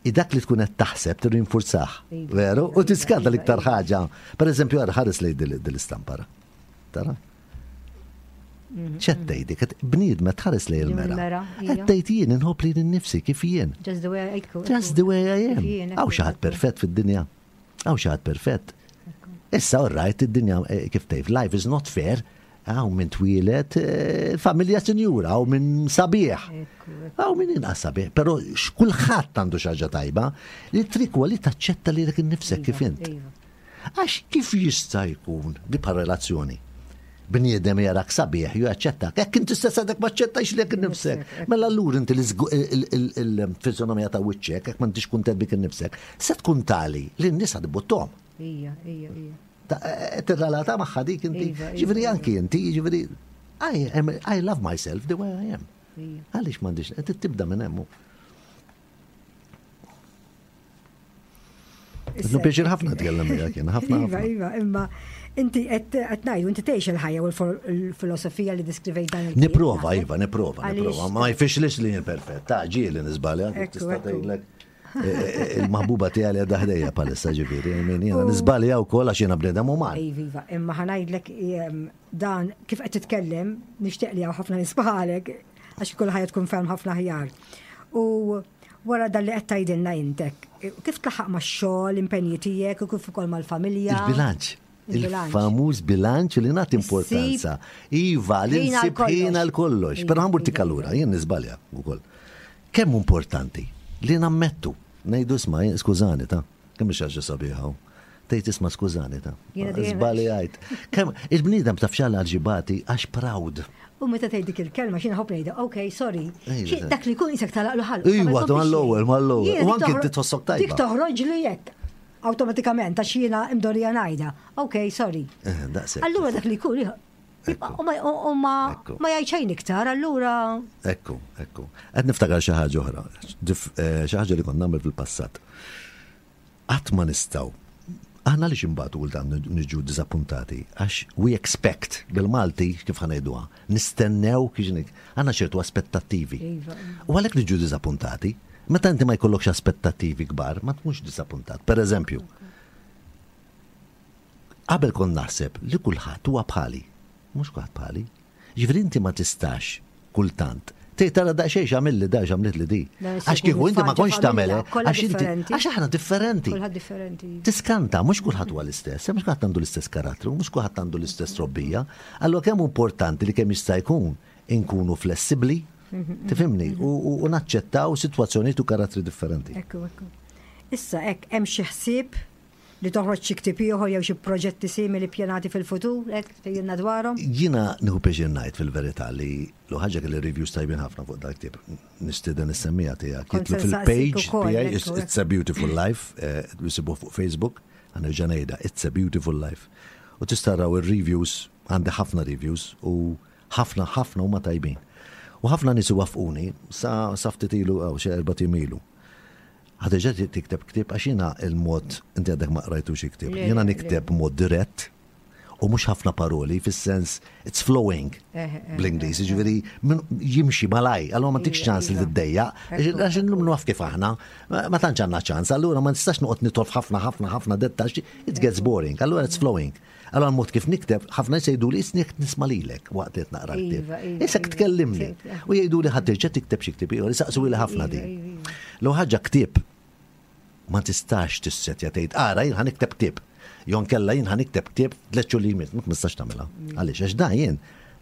C: dak li tkun qed taħseb tirrinfurzah. Veru? U tiskanta l-iktar ħaġa. Per eżempju, ara ħares lej dil-istampa. Tara? ċed tgħidi, bniedma tħares lej il-mera. Qed tgħid jien inħobb lili nnifsi kif jien.
B: Just the way I
C: Just the way I am. Hawn xi ħadd perfett fid-dinja. Hawn xi ħadd perfett. Issa all right, id-dinja kif tgħid, life is not fair. Hawn minn twieled familja sinjura, hawn minn sabiħ. Hawn minn inqas sabiħ, però kulħadd għandu xi ħaġa tajba li trik huwa li taċċetta lilek innifsek kif int. Għax kif jista' jkun di bħal relazzjoni? Bniedem jarak sabiħ ju jaċċettak, jekk inti stess għadek ma aċċettajx lilek innifsek. Mela allura inti il-fiżonomija ta' wiċċek, jekk m'intix kuntent bik innifsek, se tkun tali li n-nies ħadibuttom.
B: Ija, ija, ija.
C: Tirrelata magħha dik inti.
B: Iva, iva,
C: Ġifieri anki inti, ġifieri I am, I love myself the way I am.
B: Iva.
C: Għaliex m'għandix, qed tibda minn hemm.
B: Issa-
C: Pjaċir ħafna tkellem miegħek jien, ħafna
B: Iva,
C: ħafna.
B: iva, imma inti qed qed ngħidu, inti tgħix il-ħajja u l-filosofija li diskrivejt dan il-ktieb,
C: Niprova,
B: naħseb.
C: iva, niprova,
B: Għaliex-
C: niprova. Ma jfixlix li jien perfett. Ta' ġieli nisbalja,
B: Ekku,
C: tista'
B: ekku.
C: tgħidlek. eh, eh, Il-maħbuba tiegħi li għadha ħdejja palissa ġifieri, min jiena nisbalja wkoll għax jiena bniedem uman.
B: Iva, iva, imma ħa ngħidlek em, dan kif qed titkellem, nixtieq li hawn ħafna nies bħalek għax kull ħajja tkun ferm ħafna aħjar. U wara dan li qed tgħidilna intek, kif tlaħaq max-xogħol, impenji tiegħek u kif ukoll mal-familja?
C: Il-bilanċ.
B: Il-bilanċ.
C: Il-famuż bilanċ li nagħti importanza. Iva, li
B: Ħin għal
C: nsib ħin għal kollox.
B: Iva,
C: Però ħambur
B: iva,
C: tikallura,
B: iva.
C: jien nisbalja wkoll. Kemm importanti li nammettu, ngħidu isma' jien- skużani ta' kemm xi ħaġa sabiħa. hu. Tgħid isma' skużani ta'
B: Jiena dejjem-
C: Żbaljajt. Kemm il-bniedem taf xalla ġibati għax proud.
B: U meta tgħid dik il-kelma xi nħobb ngħidha, ok, sorry.
C: Ejja,
B: Xi-
C: ta'
B: Dak li jkun isek talaqlu ħalq.
C: Iwa, mal-ewwel, mal-ewwel.
B: Jiena
C: U
B: dik
C: anki
B: toħro-
C: inti tħossok tajba.
B: Dik toħroġ li jekk awtomatikament għax jiena imdorija ngħidha. Ok, sorry.
C: Eh, Daqshekk.
B: Allura dak li jkun
C: Ekku.
B: u ma- u ma
C: Ekku.
B: ma jgħid xejn iktar, allura
C: Ekku, ekku. Qed niftakar xi ħaġa oħra, dif- eh, xi ħaġa li kont nagħmel fil-passat. Qatt ma nistgħu. Aħna li imbagħad kultant niġu diżappuntati għax we expect bil-Malti kif ħa ngħiduha, nistennew kif għandna ċertu aspettattivi.
B: Iva.
C: U għalhekk niġu diżappuntati, meta inti ma jkollokx aspettattivi kbar, ma tkunx diżappuntat. Per eżempju, qabel kont naħseb li kulħadd huwa bħali, mhux kulħadd bħali. Ġifieri inti ma tistax kultant. Tgħid tara daqsxejn x'għamilli da x'għamlet li di.
B: Da,
C: Għax kieku inti ma kontx tagħmel,
B: familja, kollha
C: għax inti
B: differenti.
C: għax aħna differenti.
B: kulħadd differenti.
C: Tiskanta, mhux kulħadd huwa l-istess, mhux kulħadd għandu l-istess karattru, mhux kulħadd għandu l-istess trobbija. Allura kemm hu importanti li kemm jista' jkun inkunu flessibbli, tifhimni, u, u, u naċċettaw sitwazzjonijiet u karattri differenti.
B: Ekku, ekku. Issa hekk hemm xi ħsieb li toħroġ xi ktieb ieħor jew xi proġetti simili ppjanati fil-futur, hekk tgħidilna dwarhom?
C: Jiena nieħu pjaċir ngħid fil-verità li l ħaġa kelli reviews tajbin ħafna fuq dak tip. Nistieden is-semmija tiegħek.
B: Kont
C: Jitlu
B: se nsaqsik
C: fil-page
B: ukoll,
C: tiegħi
B: ekku,
C: It's a Beautiful Life, eh, jisibuh fuq Facebook, ħa nerġa' ngħidha, It's a Beautiful Life. U tista' taraw ir-reviews, għandi ħafna reviews u ħafna ħafna huma tajbin. U ħafna nies wafquni sa sa ftit ilu aw xi erba' ijiem ilu. Ħa terġa' tikteb ktieb għax jiena il-mod inti għadek ma qrajtu xi ktieb.
B: Le,
C: Jiena
B: le,
C: nikteb mod dirett u mhux ħafna paroli fis-sens it's flowing
B: Eh, eh,
C: bl-Ingliż, jiġifieri min- jimxi malaj, allura ma tikx
B: Iva,
C: ċans li
B: iva.
C: tiddejja,
B: Ekku,
C: għax illum naf kif aħna, ma ma tantx għandna ċans, allura ma nistax noqgħod nitolf ħafna ħafna ħafna dettax, it gets boring, allura it's flowing. Allura l-mod kif nikteb, ħafna jgħidu li isni nisma' lilek waqt li qed naqra l-ktieb.
B: Iva, iva,
C: Issa
B: iva.
C: tkellimni. U jgħidu li ħa terġa' tikteb xi ktieb ieħor, isaqsu li ħafna
B: Iva,
C: din.
B: iva, iva.
C: L ħaġa ktieb ma tistax tissetja tgħid ara jien ħa nikteb ktieb. Jon kella jien ħa nikteb ktieb tliet xhur li jmiss, ma tistax tagħmilha. Għaliex għax da jien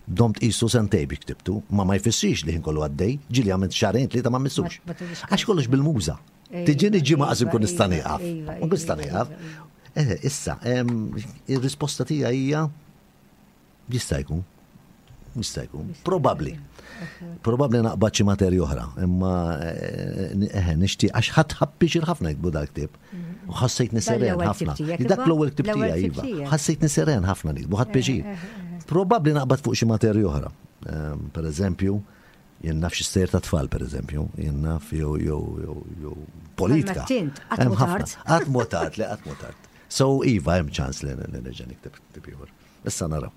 C: domt qisu sentej bi ktibtu, ma ma jfissirx li ħin kollu għaddej, ġieli għamilt xahrejn tlieta ma missux.
B: Ma- ma tibix
C: Għax kollox bil-muża.
B: Iva,
C: Tiġini ġimgħa qas
B: iva,
C: inkun nista'
B: iva,
C: nieqaf.
B: iva,
C: Ma nkun nista'
B: iva,
C: nieqaf.
B: iva,
C: Eh, Issa, em, ir-risposta tiegħi hija jista' jkun. Jista' jkun. Probabbli. Probabbli naqbad xi materja oħra, imma eh, eh, nixtieq għax ħadd ħabbiċir ħafna jiktbu dak ktieb. U ħassejtni seren
B: l-ewwel
C: ħafna.
B: ktieb tiegħek,
C: Dak
B: imma?
C: l-ewwel ktieb
B: L-ewwel
C: tiegħi
B: ktieb
C: iva.
B: tiegħek.
C: Ħassejtni seren ħafna nikbu, ħadd pjaċir. Probabbli naqbad fuq xi materja oħra. Ehm, Per eżempju, jien naf xi stejjer ta' tfal, per eżempju, jien naf jew jew jew jew politika.
B: Bħalma tint, qatt
C: Hemm
B: mhu
C: ħafna.
B: tard.
C: Qatt mhu tard, le qatt mhu tard. So iva hemm ċans li li nerġa' nikteb ktieb ieħor. Issa naraw.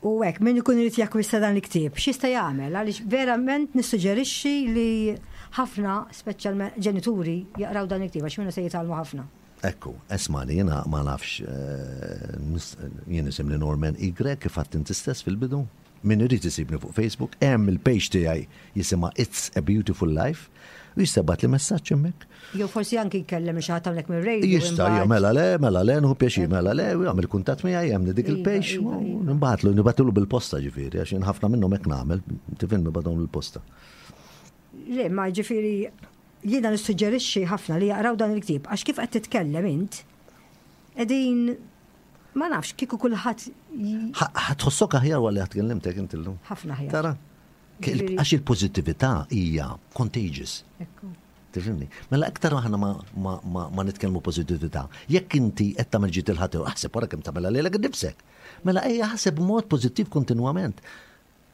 B: U hekk, min ikun irid jakkwista dan il-ktieb, x'jista' jagħmel? Għaliex verament nissuġġerixxi li ħafna, speċjalment ġenituri, jaqraw dan il-ktieb għax minnu se jitgħallmu ħafna.
C: Ekku, esmani, jena ma nafx, eh, nis- jien isimni Norman Y, kif għadt inti stess fil-bidu. Min irid isibni fuq Facebook, hemm il-page tiegħi jisimha It's a Beautiful Life, u jista' jibgħatli messaġġ hemmhekk.
B: Jew forsi anki jkellem xi ħadd hawnhekk mir-radio.
C: Jista'
B: imbagħad.
C: ja, mela le, mela le, nħu pjaċir, mela le, u jagħmel kuntatt miegħi hemm dik
B: Iva,
C: il-page,
B: iva,
C: u
B: iva.
C: nibgħatlu, nibgħatlu bil-posta ġifieri, għax jien ħafna minnhom hekk nagħmel, tifhem nibgħathom bil-posta.
B: Le, ma ġifieri jiena nissuġġerixxi ħafna li jaqraw dan il-ktieb għax kif qed titkellem int qegħdin ma nafx kieku kulħadd j-
C: Ħa tħossok aħjar wara li tkellimtek inti llum.
B: ħafna aħjar.
C: Tara?
B: Ġifieri-
C: Għax il-pożittività hija contagious.
B: Ekku.
C: Tifhimni? Mela iktar aħna ma, ma, ma, ma nitkellmu pożittività. Jekk inti qed tagħmel ġid il ħadd aħseb wara kemm tagħmilha lilek innifsek. Mela ejja ħaseb b'mod pożittiv kontinwament.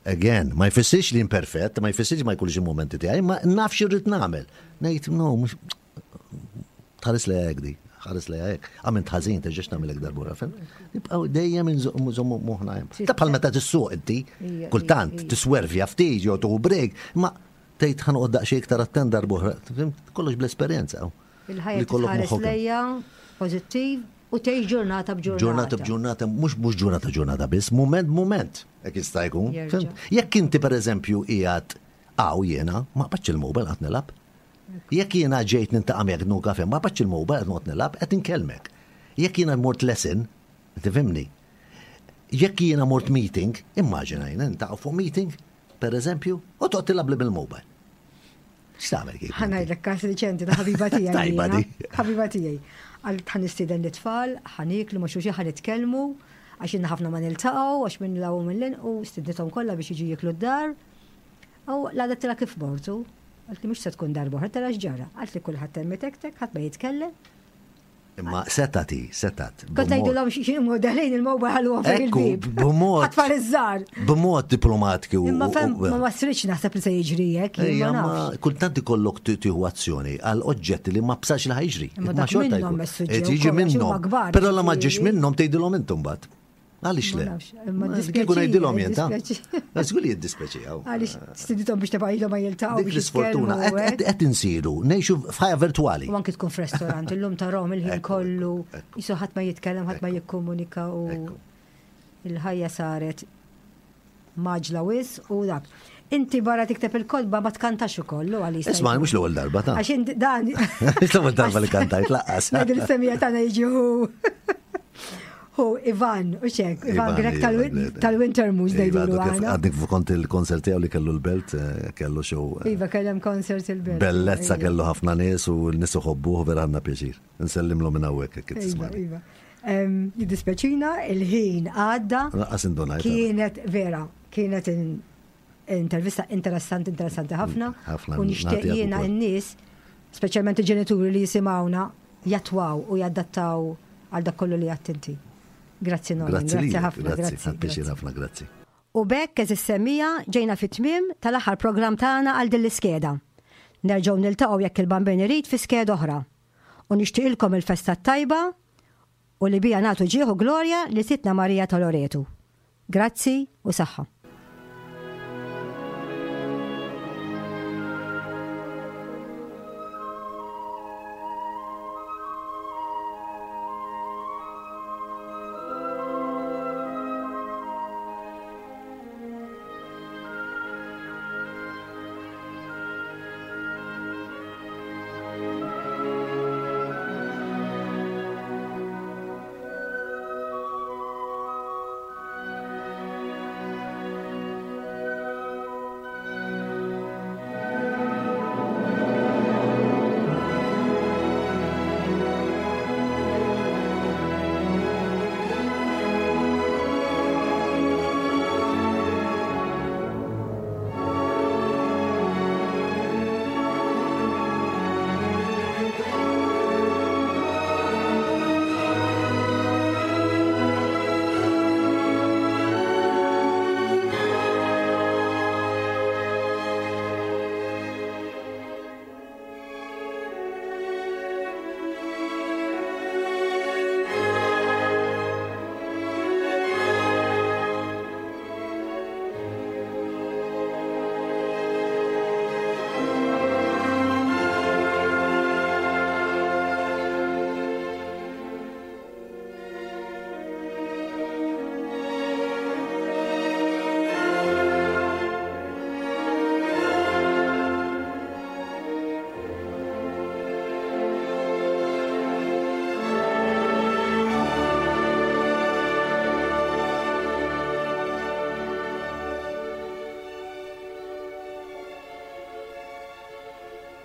C: Again, ma jfissirx li imperfett, ma jfissirx ma jkunx il-momenti tiegħi, ma naf xi rrid nagħmel. Ngħid no, mhux tħares li hekk di, ħares li hekk. Għamilt ħażin terġax tagħmel hekk darb'oħra, fhimt? Nibqgħu dejjem inżommu moħħna hemm. Ta' bħal meta tissuq inti, kultant tiswervja ftit jew tieħu break, ma tgħid ħa noqgħod daqsxejn iktar attent darb'oħra, fhimt? Kollox bl-esperjenza.
B: Il-ħajja tħares lejja pożittiv u tgħix ġurnata b'ġurnata.
C: Ġurnata b'ġurnata, mhux mhux ġurnata ġurnata biss, mument mument, hekk jista' jkun. Jekk inti pereżempju qiegħed hawn jiena, ma qbadx il-mobile qed nilgħab. Jekk jiena ġejt niltaqa' miegħek nieħu kafè, ma qbadx il-mobile qed noqgħod nilgħab, qed inkellmek. Jekk jiena mort lesson, tifhimni. Jekk jiena mort meeting, immaġina jiena niltaqgħu fuq meeting, per eżempju, u toqgħod tilgħab li bil-mobile. X'tagħmel kieku?
B: Ħa ngħidlek każ riċenti ta' ħabiba tiegħi.
C: Tajba di.
B: Ħabiba tiegħi. Għal ħa nistieden l-itfal, ħa nieklu ma' xulxin, ħa nitkellmu, għax ilna ħafna ma niltaqgħu, għax minn law minn lin, u stidnithom kollha biex jiġu jieklu d-dar. U l-għada tela kif mortu, għalt li mhux se tkun darba oħra, tela x'ġara. Għalt li kulħadd hemm itektek, ħadd ma jitkellem.
C: Imma setati, setat.
B: Kont ngħidulhom xi modelin il-mobile ħalluhom fejn il-bib.
C: B'mod.
B: Ħatfar iż-żgħar.
C: B'mod diplomatiku.
B: Imma fem ma wasritx naħseb li se jiġri hekk.
C: Ejja, ma kultant ikollok tieħu azzjoni għal oġġetti li ma bsax li ħajġri.
B: Imma dak minnhom is-suġġett.
C: Jiġi minnhom. Però la ma ġiex minnhom tgħidilhom intom mbagħad. Għaliex le? Kieku ngħidilhom jien ta' Żgur li jiddispjaċi.
B: Għaliex stidithom biex tibqa' ilhom ma jiltaqgħu.
C: Dik l-isfortuna qed insiru ngħixu f'ħajja virtwali.
B: U anki tkun f'restorant illum tarahom il-ħin kollu, jisu ħadd ma jitkellem, ħadd ma jikkomunika u il-ħajja saret maġla wis u dak. Inti barra tikteb il-kotba ma tkantax ukoll għaliex.
C: Isma' mhux l-ewwel darba ta'
B: Għax dan.
C: Mhux l-ewwel darba li kantajt laqqas.
B: Ngħidu l-semija tagħna jiġi hu. Hu Ivan, u xek, Ivan Grech tal-Winter Moose ngħidulu aħna.
C: Għadnik kont il-konsert tiegħu li kellu l-belt, kellu show.
B: Iva, kellem konsert il-belt.
C: Bellezza kellu ħafna nies u n-nies uħobbuh vera għandna pjaċir. Nsellimlu minn hawnhekk kif tismani.
B: Iva. Jiddispjaċina, il-ħin għadda.
C: Lanqas indunajt.
B: Kienet vera, kienet intervista interessanti, interessanti ħafna.
C: Ħafna.
B: U nixtieq jiena n-nies, speċjalment il-ġenituri li jisimgħuna, jatwaw u jadattaw għal dak kollu li għadt inti. Grazzi Nolan, grazzi ħafna,
C: grazzi. Grazzi ħafna, grazzi.
B: U b'hekk eżis semmija ġejna fit-tmiem tal-aħħar programm tagħna għal din l-iskeda. Nerġgħu niltaqgħu jekk il-Bambin irid fi skeda oħra. U nixtieqilkom il-festa tajba u li bija nagħtu ġieħu glorja li Sidtna Marija ta' Loretu. Grazzi u saħħa.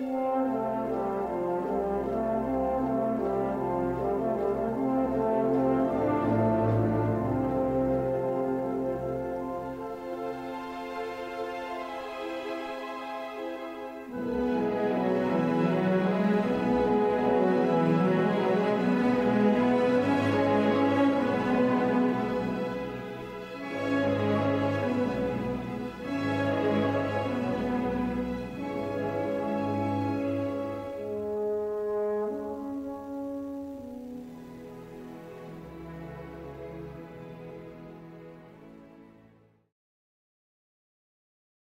D: Thank you.